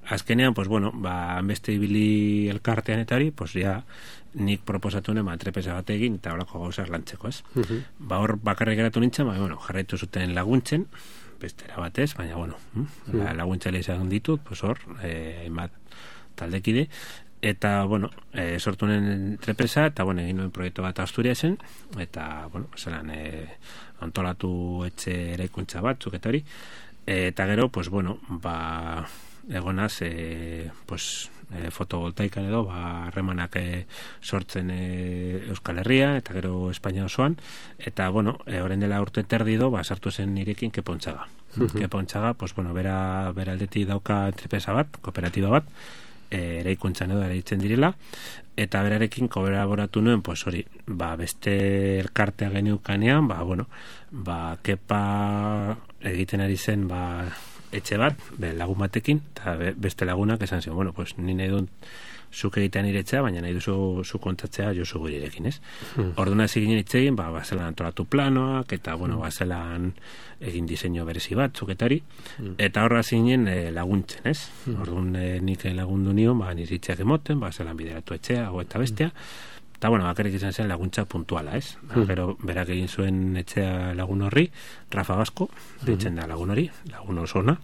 azkenean, beste ibili elkartean eta hori, nik proposatu nuen entrepesa bat egin, eta horako gauzak lantzeko, ez? Hor bakarrik geratu nintzen, jarraitu zuten laguntzen, bestera batez, baina, laguntzale izan ditut, hor, hainbat taldekide, eta, sortu nuen entrepesa, eta, egin nuen proiektu bat Asturiasen, eta, zelan, antolatu etxe eraikuntza batzuk, eta hori, eta gero, egonaz, fotovoltaikan edo, harremanak sortzen Euskal Herria, eta gero Espainia osoan, eta, orain dela urte terdido, sartu zen nirekin Kepontzaga. Kepontzaga, bera aldetik dauka entrepesa bat, kooperatiba bat, eraikuntzan edo eraitzen direla, eta berarekin kolaboratu nuen, hori, beste elkartea geniukanean, kepa egiten ari zen, etxe bat, lagun batekin, eta beste lagunak esan zen, ni nahi dut zuk egitean iretzea, baina nahi duzu zu kontatzea Josu Goirirekin, ez? Orduan hasi ginen itzegin, bazelan antolatu planoak, eta, bazelan egin diseinu berezi batzuk eta hori, eta horra hasi ginen laguntzen, ez? Orduan nik lagundu nion, niritzeak emoten, bazelan bideratu etxea, eta bestea, eta, bakarrik izan zen laguntza puntuala, ez? Gero, berak egin zuen etxea lagun horri, Rafa Basko, ditzen da lagun hori, lagun oso ona,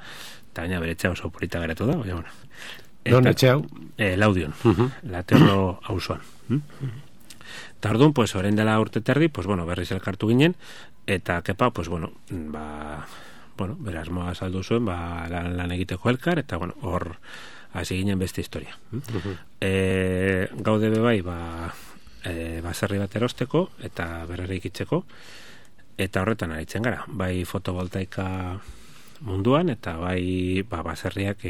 eta baina bere etxea oso polita geratu da, baina, non etxe hau? Laudion, Laterlo auzoan. Eta orduan, orain dela urte terdi, berriz elkartu ginen, eta kepa, bera asmoa saldu zuen, lan egiteko elkar, eta, hor, hasi ginen beste historia. Gaude bebai, baserri bat erosteko eta berrerik itzeko, eta horretan aritzen gara, bai fotovoltaika munduan, eta bai baserriak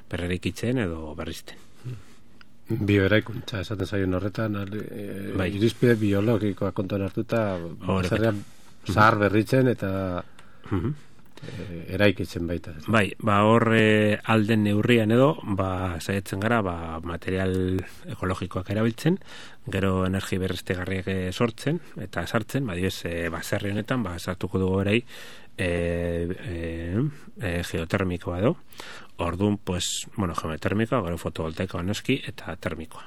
berrerik itzen edo berrizten. Bioeraikuntza esaten zaion horretan, irizpide biologikoa kontuan hartuta, baserriak zahar berritzen eta eraikitzen baita. Bai, hor alden neurrian edo, saiatzen gara, material ekologikoak erabiltzen, gero energi berriztegarriak sortzen eta sartzen, baserri honetan, sartuko dugu erai geotermikoa edo, orduan, geotermikoa, gero fotovoltaikoa noski, eta termikoa.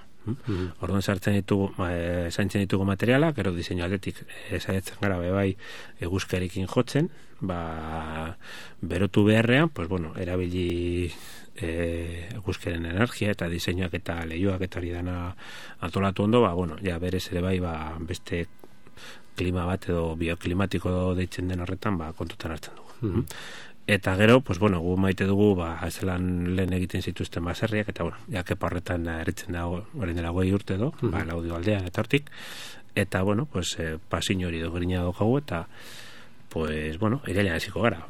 Orduan zaintzen ditugu materiala, gero diseinu aldetik saiatzen gara bai eguzkiarekin jotzen, berotu beharrean, erabili eguzkiaren energia eta diseinuak eta leihoak eta hori dana antolatu ondo, berez ere bai beste klima bat edo bioklimatiko deitzen den horretan kontutan hartzen dugu. Eta gero, gu maite dugu, zelan lehen egiten zituzten baserriak, eta, kepa horretan eritzen da, orain dela 20 urte edo, Laudio aldean eta hortik, eta, pasin hori dogirina daukagu, eta, irailean hasiko gara,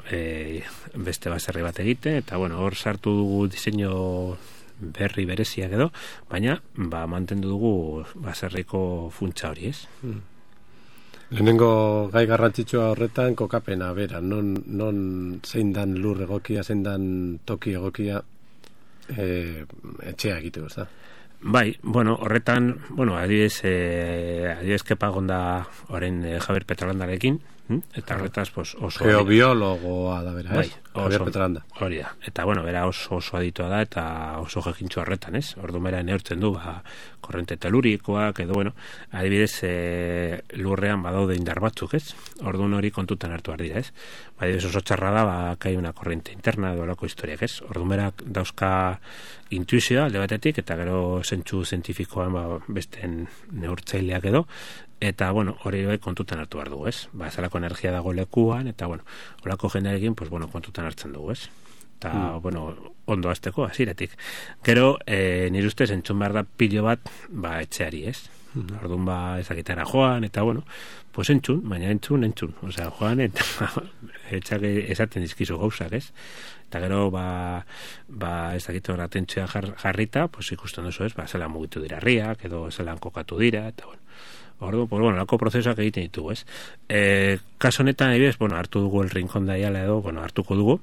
beste baserri bat egiten, eta, hor sartu dugu diseinu berri bereziak edo, baina, mantendu dugu baserriko funtsa hori, ez? Lehenengo gai garrantzitsua horretan kokapena, bera, non zein dan lur egokia, zein dan toki egokia etxea egiteko, ez da? Bai, bueno, horretan, bueno, adibidez kepagonda orain Javier Petralandarekin, eta horretaz, pues, oso... Geobiologoa da bera, bai, Javier Petralanda. Hori da, eta, bueno, bera oso aditua da, eta oso jakintxo horretan, ez? Orduan bera neurtzen du, korrente telurikoak, edo, bueno, adibidez, lurrean badaude indar batzuk, ez? Orduan hori kontutan hartu behar dira, ez? Adibidez oso txarra da, kai una korrente interna, edo lako historiak, ez? Orduan bera dauzka intuizioa alde batetik, eta gero zentsu zientifikoan besten neurtzaileak edo, eta, bueno, hori kontutan hartu behar dugu, ez? Zelako energia dago lekuan, eta, bueno, horako jendearekin, pues, bueno, kontutan hartzen dugu, ez? Eta, bueno, ondo azteko, hasieratik. Gero, nire ustez, entzun behar da pilo bat, etxeari, ez? Orduan, ezakitara joan, eta, bueno, pues entzun, baina entzun. Osea, joan, eta etxak esaten dizkizu gauzak, ez? Eta gero, ezakit hor atentzioa jarrita, pues ikusten duzu, ez? Zelan mugitu dira herriak, edo zelan kokatu dira, eta, bueno. Orduan, pues, bueno, lako prozesuak egiten ditugu, ez? Kaso honetan, ebidez, bueno, hartu dugu el Rincón de Ayala edo, bueno, hartuko dugu,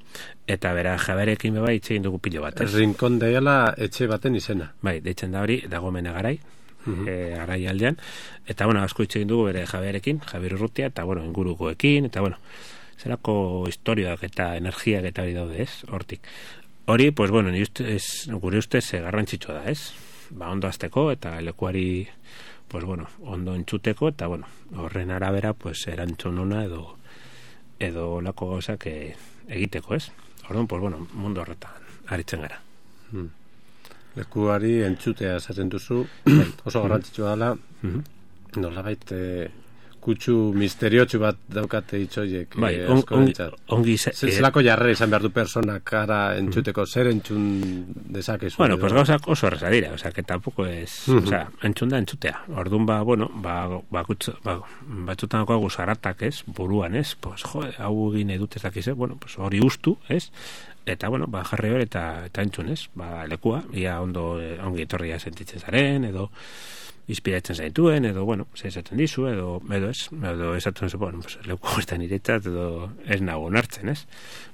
eta bera Jaberekin beba itxegin dugu pilo bat, ez? El Rincón de Ayala etxe baten izena. Bai, deitzen da hori, dago mena garai, garai aldean, eta, bueno, asko itxegin dugu bere Jaberekin, Javier Urrutia, eta, bueno, ingurukoekin, eta, bueno, zerako historiak eta energiak eta hori daude, ez? Hortik. Hori, pues, bueno, gure ustez garrantzitsua da, ez? Ondo azteko, eta lekuari pues bueno, ondo entzuteko, eta bueno, horren arabera, pues erantzun ona edo lako gauzak egiteko, ez? Orduan, pues bueno, mundu horretan aritzen gara. Lekuari entzutea esaten duzu, oso garrantzitsua dela, nolabait kutsu misteriotsu bat daukate itxoiek. Bai, ongi... Zelako jarrera izan behar du personak gara entzuteko, zer entzun dezakezu? Bueno, pues gauzak oso erreza dira, o sea, que tampoco es... O sea, entzun da entzutea. Orduan, bueno, batzutan dagoagu zaratak, ez? Buruan, ez? Pues, hau egin edut ez dakiz, bueno, pues hori ustu, ez? Eta, bueno, jarri hori eta entzun, ez? Lekua, ia ongi etorria sentitzen zaren, edo inspiratzen zaituen, edo, bueno, esaten dizu, edo esaten zu, bueno, pues, leku horretan iretzat, edo ez nago onartzen, ez?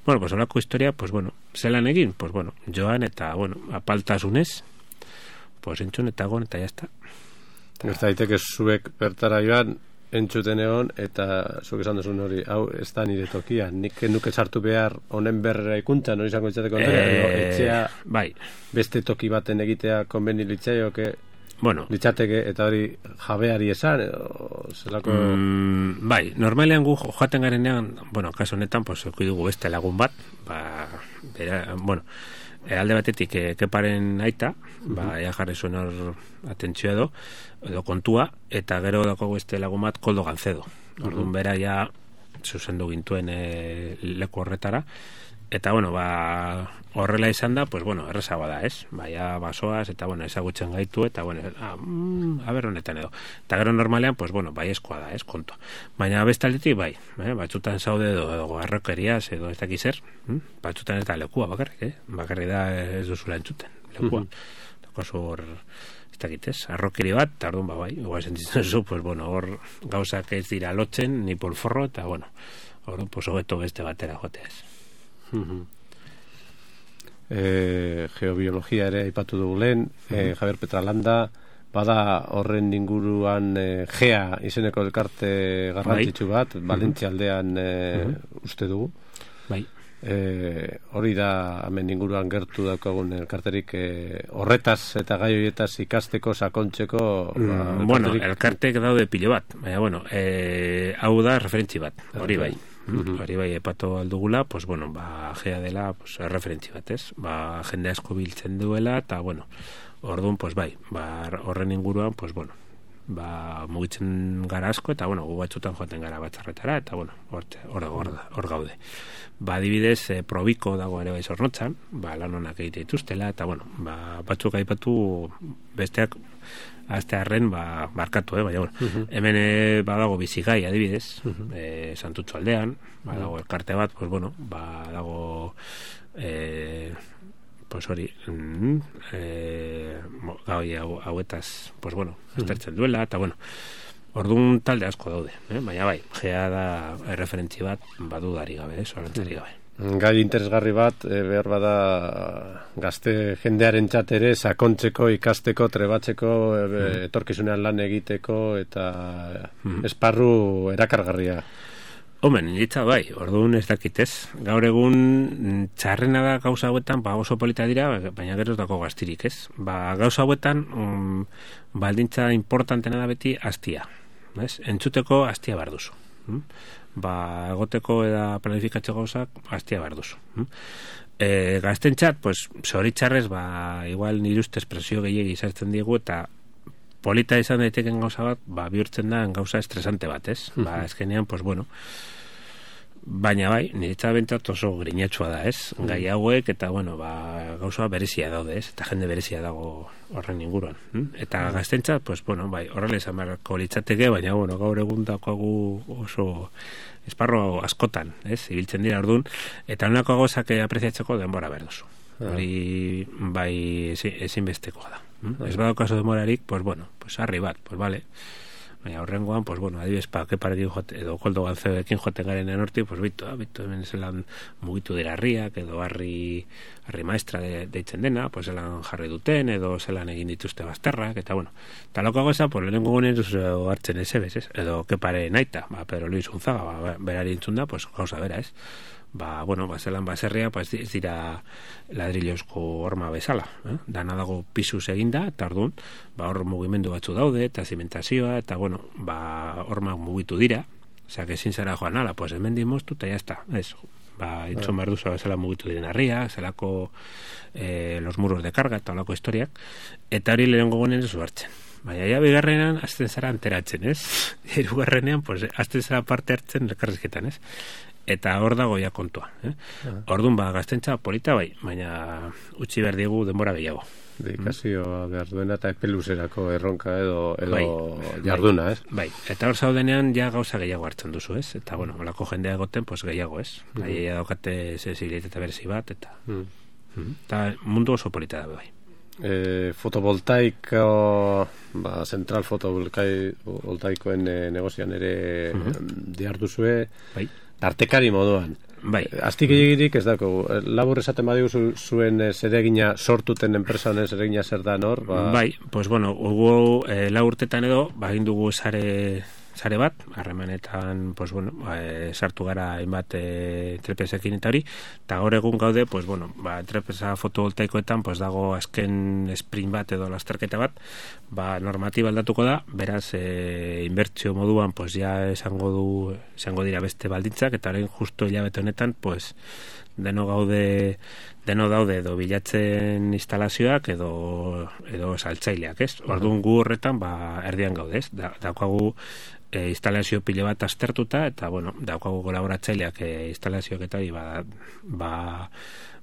Bueno, pues, holako historia, pues, bueno, zelan egin, pues, bueno, joan, eta, bueno, apaltasunez, pues, entzun, eta gon, eta jazta. Ez daiteke zuek bertara joan, entzuten egon, eta zuek esan duzun hori, hau, ez da nire tokia, nik nuke sartu behar honen berra ikuntza, nori izango izateko etxea, bai, beste toki baten egitea konbeni litzaioke, bueno, litzateke, eta hori jabeari esan, zelako... bai, normalean gu joaten garenean, bueno, kaso honetan, pues, dugu beste lagun bat, bueno, alde batetik keparen aita, ea jarri zuen hor atentzio edo kontua, eta gero dago beste lagun bat Koldo Gancedo. Orduan bera ja zuzendu gintuen leku horretara, eta, bueno, horrela izan da, pues, bueno, errezagoa da, ez? Ja basoaz, eta, bueno, ezagutzen gaitu, eta, bueno, aber honetan edo. Eta gero normalean, pues, bueno, bai eskoa da, ez, kontu. Baina bestaletik, batzutan zaude edo arrokeriaz, edo ez dakiz zer, batzutan ez da lekua bakarrik, bakarrik da ez duzula entzuten, lekua. Dakozu hor, ez dakitez, arrokeri bat, eta orduan, bai, igual sentitzen zu, pues, bueno, hor gauzak ez dira lotzen, ni polforro, eta, bueno, orduan, pues, hobeto beste batera joteaz. Geobiologia ere aipatu dugu lehen, Javier Petralanda, bada horren inguruan GEA izeneko elkarte garrantzitsu bat, Valentzia aldean uste dugu. Bai. Hori da hemen inguruan gertu daukagun elkarterik horretaz eta gai horietaz ikasteko, sakontzeko... Bueno, elkartek daude pilo bat, baina, bueno, hau da referentzi bat, hori bai. Hori bai epatu aldugula, pues, bueno, gea dela, pues, referentzi bat, ez? Jende asko biltzen duela, eta, bueno, orduan, pues, bai, horren inguruan, pues, bueno, mugitzen gara asko, eta, bueno, gu batzutan joaten gara batzarretara, eta, bueno, hor gaude. Adibidez, Probiko dago ere bai Zornotzan, lan honak egite dituztela, eta, bueno, batzuk aipatu besteak aztearren barkatu, baina, bueno, hemen badago Bizigai, adibidez, Santutxo aldean, badago elkarte bat, pues, bueno, badago pues hori hauetaz, pues, bueno, aztertzen duela, eta, bueno, Orduan talde asko daude, baina bai, gea da referentzi bat badudari gabe, zorantzari gabe. Gai interesgarri bat, behar bada gazte jendearen ere sakontzeko, ikasteko, trebatzeko, etorkizunean lan egiteko, eta esparru erakargarria. Omen, nitza bai, orduan ez dakitez. Gaur egun txarrena da gauza hauetan, oso polita dira, baina gero ez dako gaztirik, ez? Gauza hauetan, baldintza importantena da beti astia. Entzuteko astia behar duzu. Egoteko eta planifikatzeko gauzak astia behar duzu. Gaztentzat, pues, zoritxarrez, igual nire ustez presio gehiagi izartzen diegu, eta polita izan daiteken gauza bat, bihurtzen da gauza estresante bat, ez? Ezkenean, pues, bueno, baina bai, niretza bentsat oso grinetxua da, ez? Gai hauek, eta, bueno, gauza berezia daude, ez? Eta jende berezia dago horren inguruan. Eta gaztentzat, pues, bueno, bai, horrela izan beharko litzateke, baina, bueno, gaur egun dakoagu oso esparro askotan, ez? Ibiltzen dira orduan, eta honako gauzak apreziatzeko denbora behar duzu. Hori, bai, ezinbestekoa da. Ez badaukazu demorarik, pues, bueno, pues, harri bat, pues, vale. Baina horrengoan, pues, bueno, adibes, parekin jote, edo koldo galtzeekin joten garen enorti, pues, bitu, hemen zelan mugitu dira harriak, edo harri maestra deitzen dena, pues, zelan jarri duten, edo zelan egin dituzte bazterrak, eta, bueno, taloko goza, pues, lehenengo gunen hartzen ezebez, ez? Edo, kepare naita, Pedro Luis Unzaga, berari intzun da, pues, gauza bera, ez? Bueno, zelan baserria, pues, ez dira ladrilozko horma bezala, dana dago pisuz eginda, eta orduan, hor mugimendu batzu daude, eta zimentazioa, eta, bueno, hormak mugitu dira, osea, ezin zara joan ala, pues, hemen dimoztu, eta jazta, ez, intzun behar duzu zela mugitu diren harria, zelako los muros de carga, eta olako historiak, eta hori lehenengo gonen ez hartzen. Baina, ja, bigarrenean, azten zara enteratzen, ez? Hirugarrenean, pues, azten zara parte hartzen elkarrizketan, ez? Eta hor dago ja kontua. Orduan, gaztentza polita bai, baina utzi behar diegu denbora gehiago. Dedikazioa behar duena eta epeluzerako erronka edo jarduna, ez? Bai, eta hor zaudenean ja gauza gehiago hartzen duzu, ez? Eta, bueno, olako jendea egoten, pues gehiago, ez? Aia daukate sensibilitate berezi bat, eta mundu oso polita da, bai. Fotovoltaiko zentral fotovoltaikoen negozioan ere diharduzue tartekari moduan. Bai. Aztik egirik ez dako, labur esaten badigu zuen zeregina sortuten enpresa honen zeregina zer da nor? Bai, pues bueno, hugo urtetan edo, egin dugu sare bat, harremanetan, pues bueno, sartu gara hainbat entrepresekin eta hori, eta gaur egun gaude, pues bueno, entrepresa fotovoltaikoetan, pues dago azken sprint bat edo lasterketa bat, normatiba aldatuko da, beraz, inbertsio moduan, pues ja izango dira beste baldintzak, eta orain justo hilabete honetan, pues, deno daude edo bilatzen instalazioak edo saltzaileak, ez? Orduan gu horretan, erdian gaude, ez? Daukagu instalazio pile bat aztertuta, eta, bueno, daukagu kolaboratzaileak instalazioak eta hori,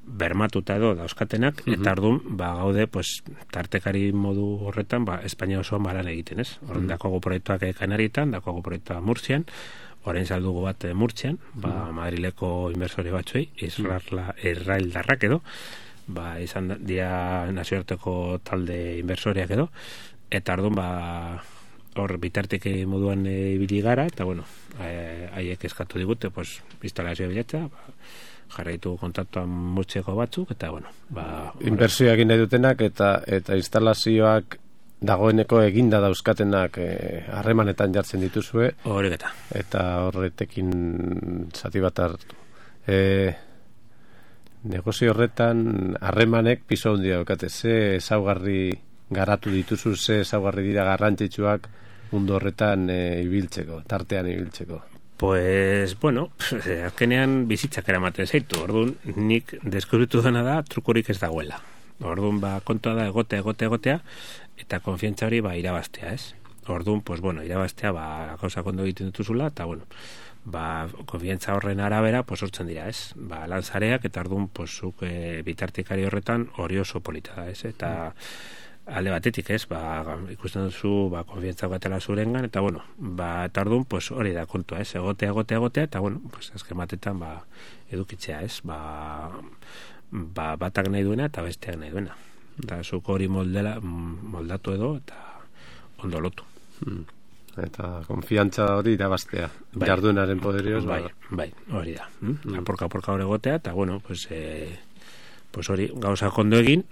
bermatuta edo dauzkatenak, eta orduan, gaude, pues, tartekari modu horretan, Espainia osoan balan egiten, ez? Orduan, daukagu proiektuak Kanarietan, daukagu proiektua Murtzian, orain saldugu bat Murtzian, Madrileko inversore batzuei, Israeldarrak edo, izan dira nazioarteko talde inversoreak edo, eta orduan, hor bitarteke moduan ibili gara, eta bueno, haiek eskatu digute, pues, instalazioa bilatza, jarraitu kontaktuan Murtziako batzuk, eta bueno, inbertsioak egin nahi dutenak, eta instalazioak dagoeneko eginda dauzkatenak harremanetan jartzen dituzue. Horreketa. Eta horretekin zati bat hartu. Negozio horretan harremanek piso handia daukate. Ze ezaugarri garatu dituzu, ze ezaugarri dira garrantzitsuak mundu horretan ibiltzeko, tartean ibiltzeko. Pues, bueno, azkenean bizitzak eramaten zaitu. Orduan, nik deskubritu dena da trukorik ez dagoela. Orduan, kontua da egotea, eta konfiantza hori irabaztea, ez? Orduan, pues, bueno, irabaztea, gauza kondo egiten dituzula, eta, bueno, konfiantza horren arabera, pues, hortzen dira, ez? Lanzareak, eta orduan, pues, zuk bitartikari horretan hori oso polita da, ez? Eta alde batetik, ez? Ikusten duzu, konfiantza gatela zurengan, eta, bueno, eta orduan, pues, hori da kontua, ez? Egotea, eta, bueno, pues, azken batetan, edukitzea, ez? Batak nahi duena eta besteak nahi duena. Eta zuk hori moldatu edo eta ondo lotu. Eta konfiantza hori irabaztea. Jardunaren poderioz. Bai, hori da. Aporka hori egotea, eta bueno, pues hori gauza kondo egin,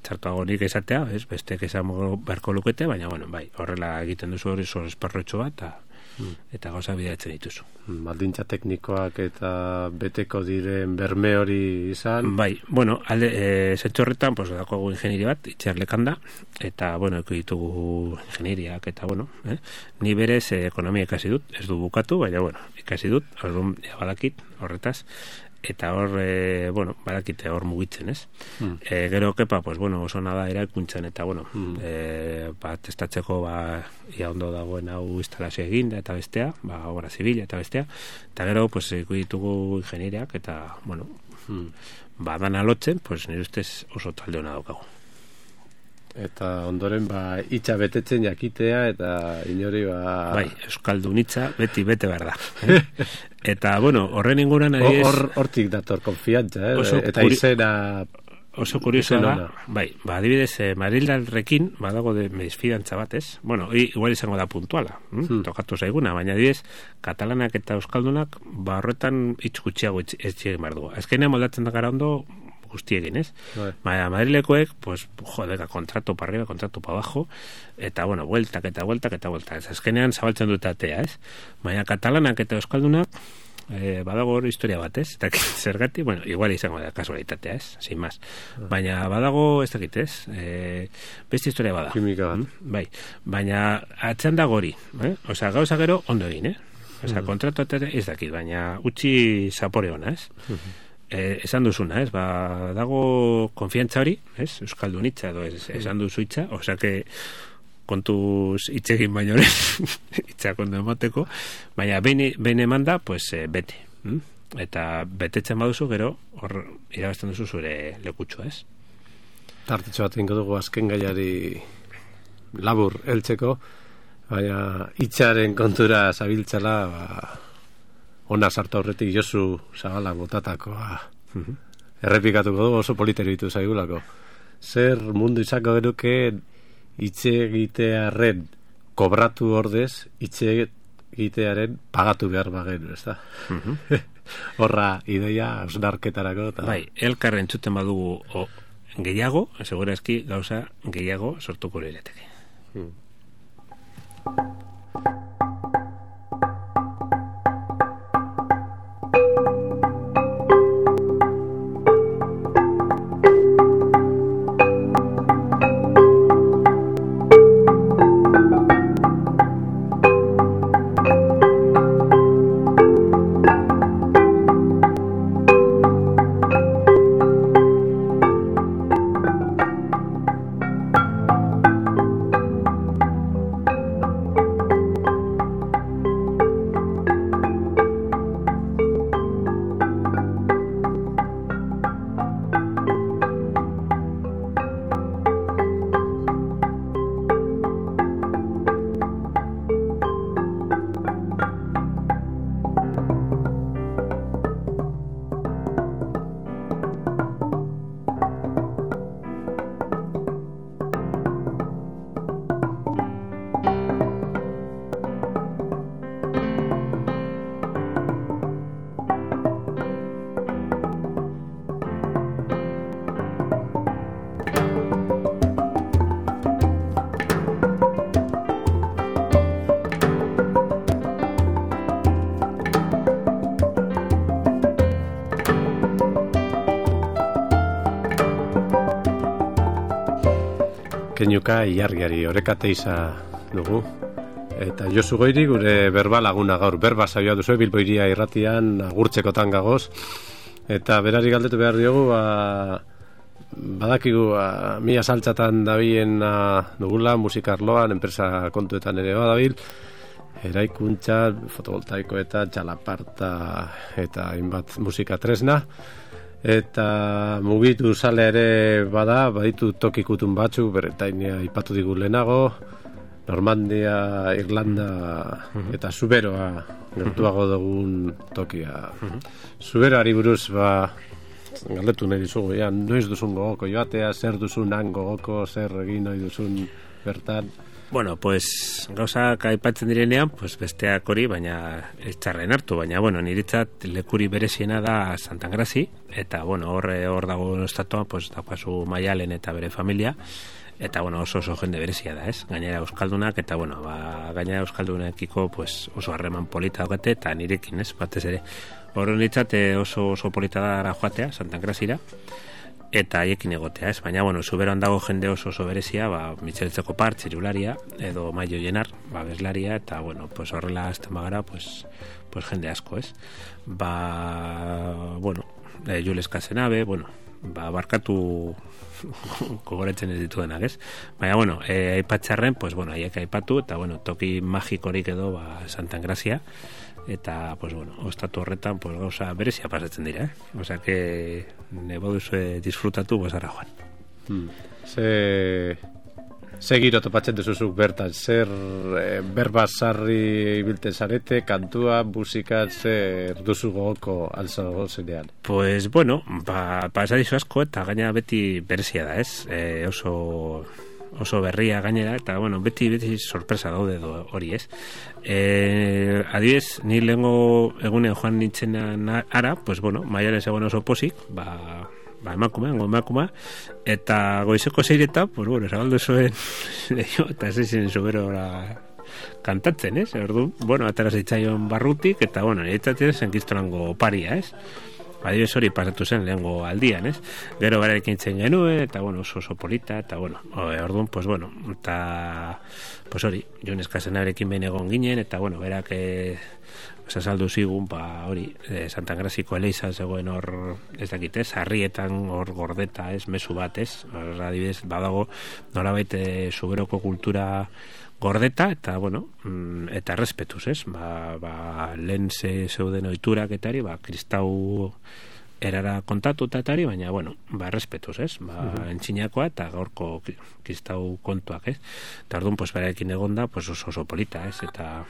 txartuago nik esatea, bestek esan beharko lukete, baina bueno, bai, horrela egiten duzu hori esparrotxo bat, eta gauza bidatzen dituzu. Baldintza teknikoak eta beteko diren berme hori izan? Bai, bueno, zentzu horretan, pues, dago ingenieri bat, itxerlekan da, eta, bueno, ditugu ingenieriak, eta, bueno, ni berez ekonomia ikasi dut, ez du bukatu, baina, bueno, ikasi dut, orduan, badakit, horretaz, eta hor, bueno, badakite hor mugitzen, ez? Gero kepa, pues, bueno, oso nada eraikuntzen, eta, bueno, testatzeko, ia ondo dagoen hau instalazio egin, eta bestea, obra zibila, eta bestea, eta gero, pues, ditugu ingenieriak, eta, bueno, dana lotzen, pues, nire ustez oso talde hona daukagu. Eta ondoren, itxa betetzen jakitea, eta inori, Bai, euskaldun itxa, bete behar da. Eta, bueno, horren inguran... Hortik dator konfiantza, eta izena... Oso kurioso da, bai, adibidez, Marildarrekin, badago de mesfidantza bat, ez? Bueno, igual izango da puntuala, tokatu zaiguna, baina adibidez, katalanak eta euskaldunak, horretan itxgutxiago ez txegin behar dugu. Azkenean moldatzen da gara ondo, guztiekin, ez? Baina Madrilekoek, pues, kontratu pa arriba, kontratu pa abajo, eta, bueno, vueltak. Azkenean zabaltzen dut atea, ez? Baina katalanak eta euskaldunak, badago hor historia bat, ez? Eta zergati, bueno, igual izango da kasualitatea, ez? Sin más. Baina badago, ez dakit, ez? Beste historia bada. Kimika bat. Bai. Baina atzean dago hori, Osa, gauza gero ondo egin, Osa, kontratu ez dakit, baina utzi zapore ona, ez? Esan duzuna, ez? Dago konfiantza hori, ez? Euskaldun itxa, edo esan duzu itxa, osea que kontuz itxegin baino itxa kondo emateko, baina behin emanda, pues bete. Eta betetzen baduzu, gero hor irabazten duzu zure lekutxo, ez? Tartitxo bat ingo dugu azken gaiari labur heltzeko, baina itxaren kontura zabiltzala, ona sartu aurretik Josu Zabala botatakoa errepikatuko dugu, oso politero ditu zaigulako. Zer mundu izango genuke hitze egitearen kobratu ordez, hitze egitearen pagatu behar bagenu, ez da? Horra ideia, ausnarketarako. Bai, elkarren entzuten badugu gehiago, segurazki gauza gehiago sortuko lirateke. Keinuka iargiari orekate iza dugu. Eta Josu Goiri gure berba laguna gaur. Berba saioa duzu Bilbo Hiria irratian agurtzekotan gagoz. Eta berari galdetu behar diogu, badakigu mila saltzatan dabien dugula, musikarloan, enpresa kontuetan ere badabil, eraikuntza, fotovoltaiko eta txalaparta eta hainbat musika tresna. Eta mugitu sale ere baditu tokikutun batzu, beretainia ipatu digu lehenago, Normandia, Irlanda eta Zuberoa gertuago dugun tokia. Zuberoari buruz galdetu nahi dizugu, noiz duzun gogoko joatea, zer duzun han gogoko, zer egin nahi duzun bertan? Bueno, pues gauzak aipatzen direnean, pues besteak hori, baina ez txarren hartu, baina bueno, niretzat lekuri bereziena da Santangrazi, eta bueno, hor dago estatua, pues daukazu Maialen eta bere familia, eta bueno, oso jende berezia da, ez? Gainera euskaldunak, eta bueno, gainera euskaldunekiko pues oso harreman polita daukate, eta nirekin, ez? Batez ere. Hor niretzat oso polita da joatea, Santangrazira, eta haiekin egotea, ez? Baina, bueno, zuberoan dago jende oso berezia, Mitxeletzeko Par, txirularia, edo Maio Jenar, bezlaria, eta, bueno, pues horrela azten bagara, pues jende asko, ez? Bueno, Jules Casenabe, bueno, barkatu gogoretzen ez dituenak, ez? Baina, bueno, aipatxarren, pues, bueno, haiek aipatu, eta, bueno, toki magikorik edo, Santangrazia, eta, pues, bueno, ostatu horretan, pues, gauza berezia pasatzen dira, Osea, que nebo duzu disfrutatu bozara joan. Ze giro topatzen duzuzuk bertan, zer berba sarri ibilten zarete, kantua, musika, zer duzu gogoko alzo zenean? Pues, bueno, pasadizu asko eta gaina beti berezia da, ez? Oso berria gainera, eta, bueno, beti sorpresa daude hori, ez? Adibidez, ni lehengo egunean joan nintzen ara, pues, bueno, Maialen zegoen oso posik, emakumea, eta goizeko zeireta, pues, bueno, zabaldu zuen eta zeizen zuberora kantatzen, ez? Orduan, bueno, atara zeitzaion barrutik, eta, bueno, niretzat zenkistolango paria, ez? Adibidez hori pasatu zen lehengo aldian, ez? Gero berarekin zen genuen, eta, bueno, oso polita, eta, bueno, orduan, pues, bueno, eta, pues hori, Jules Casenaberekin behin egon ginen, eta, bueno, berak saldu zigun, hori, Santangraziko Eleiza zegoen hor, ez dakit, ez? Harrietan hor gordeta, ez? Mezu bat, ez? Adibidez, badago, nolabait zuberoko kultura gordeta, eta, bueno, eta errespetuz, ez? Lehen zeuden ohiturak etari, kristau erara kontatuta etari, baina, bueno, errespetuz, ez? Entxinakoa eta gaurko kristau kontuak, ez? Eta orduan, pues, berarekin egonda, pues, oso polita, ez? Eta,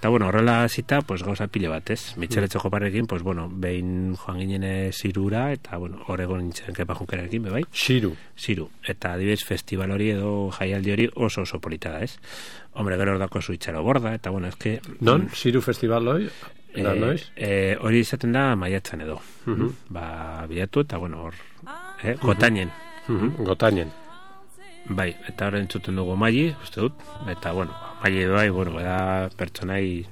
bueno, horrela zita, pues, gauza pile bat, ez? Mitxeletzeko Parrekin, pues, bueno, behin joan ginen zirura, eta, bueno, horregon nintzen Kepa Junkerarekin, bai? Ziru. Eta, adibidez, festival hori edo jaialdi hori oso polita da, ez? Hombre, gero ordako zuitxaro borda, eta, bueno, ez que... Non? Ziru festival hori? Hori izaten da maiatzen edo. Bilatu, eta, bueno, hor... Gotainen. Gotainen. Bai, eta horren entzuten dugu Maili, uste dut, eta, bueno, Maili bai, bueno, da pertsonai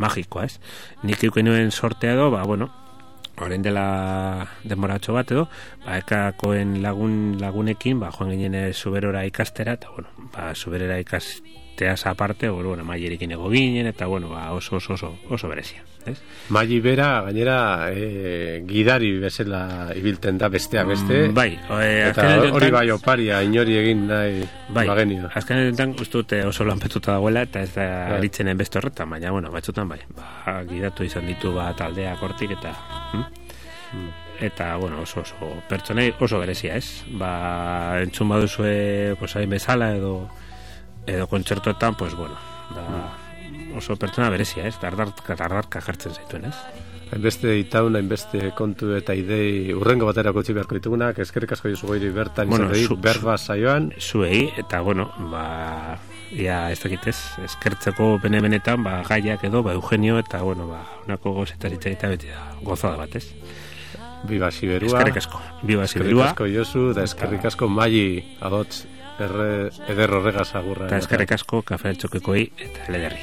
magikoa, ez? Nik euken nuen sortea edo, bueno, horrein dela denboratxo bat edo, ekakoen lagunekin, joan ginen zuberora ikastera, eta, bueno, zuberera ikasteaz aparte, bueno, Mailirekin ego ginen, eta, bueno, oso berezia, ez? Maili bera, gainera, gidari bezala ibilten da besteak beste. Bai. Eta hori bai oparia, inori egin nahi bagenio. Azken edentan, uste dute oso lanpetuta dagoela, eta ez da eritzenen beste horretan, baina, bueno, batzutan bai. Gidatu izan ditu taldeak hortik, eta... Eta, bueno, oso pertsonei oso berezia, ez? Entzun baduzue, pues, hain bezala, edo kontzertuetan, pues, bueno, oso pertsona berezia, ez? Dardarka jartzen zaituen, ez? Hainbeste itaun, hainbeste kontu eta idei urrengo baterako utzi beharko ditugunak, eskerrik asko Josu Goiri bertan izan berba saioan. Zuei, eta, bueno, ez dakit ez, eskertzeko benetan, gaiak edo, Eugenio, eta, bueno, unako gozetarita beti da, gozada bat, ez? Biba Siberua. Eskerrik asko. Biba Siberua. Eskerrik asko Josu, da eskerrik asko Maili adotz eder horregaz agurra. Eta eskerrik asko Kafe Altxokekoi eta Elederri.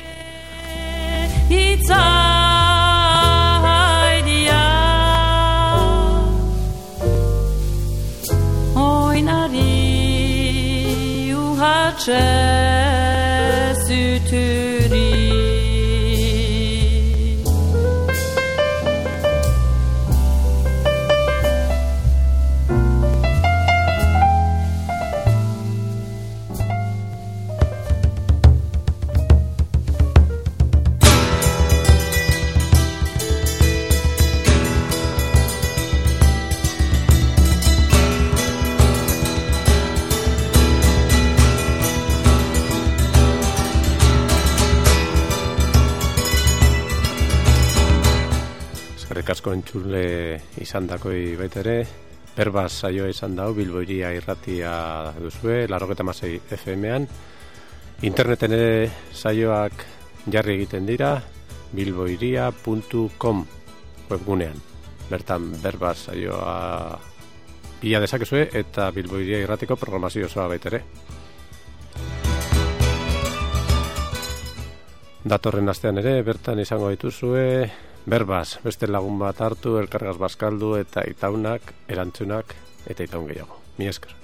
Oinari uhatxe sütüri asko entzule izan dakoi baitere, berbaz saioa izan dau, Bilbo Hiria irratia duzue, 96 FM-an, Interneten ere saioak jarri egiten dira bilboiria.com webgunean. Bertan Berbaz saioa ia dezakezue eta Bilboiria irratiko programazio osoa baitere. Datorren astean ere bertan izango dituzue Berbaz, beste lagun bat hartu, elkargaz bazkaldu eta itaunak, erantzunak eta itaun gehiago. Mi esker.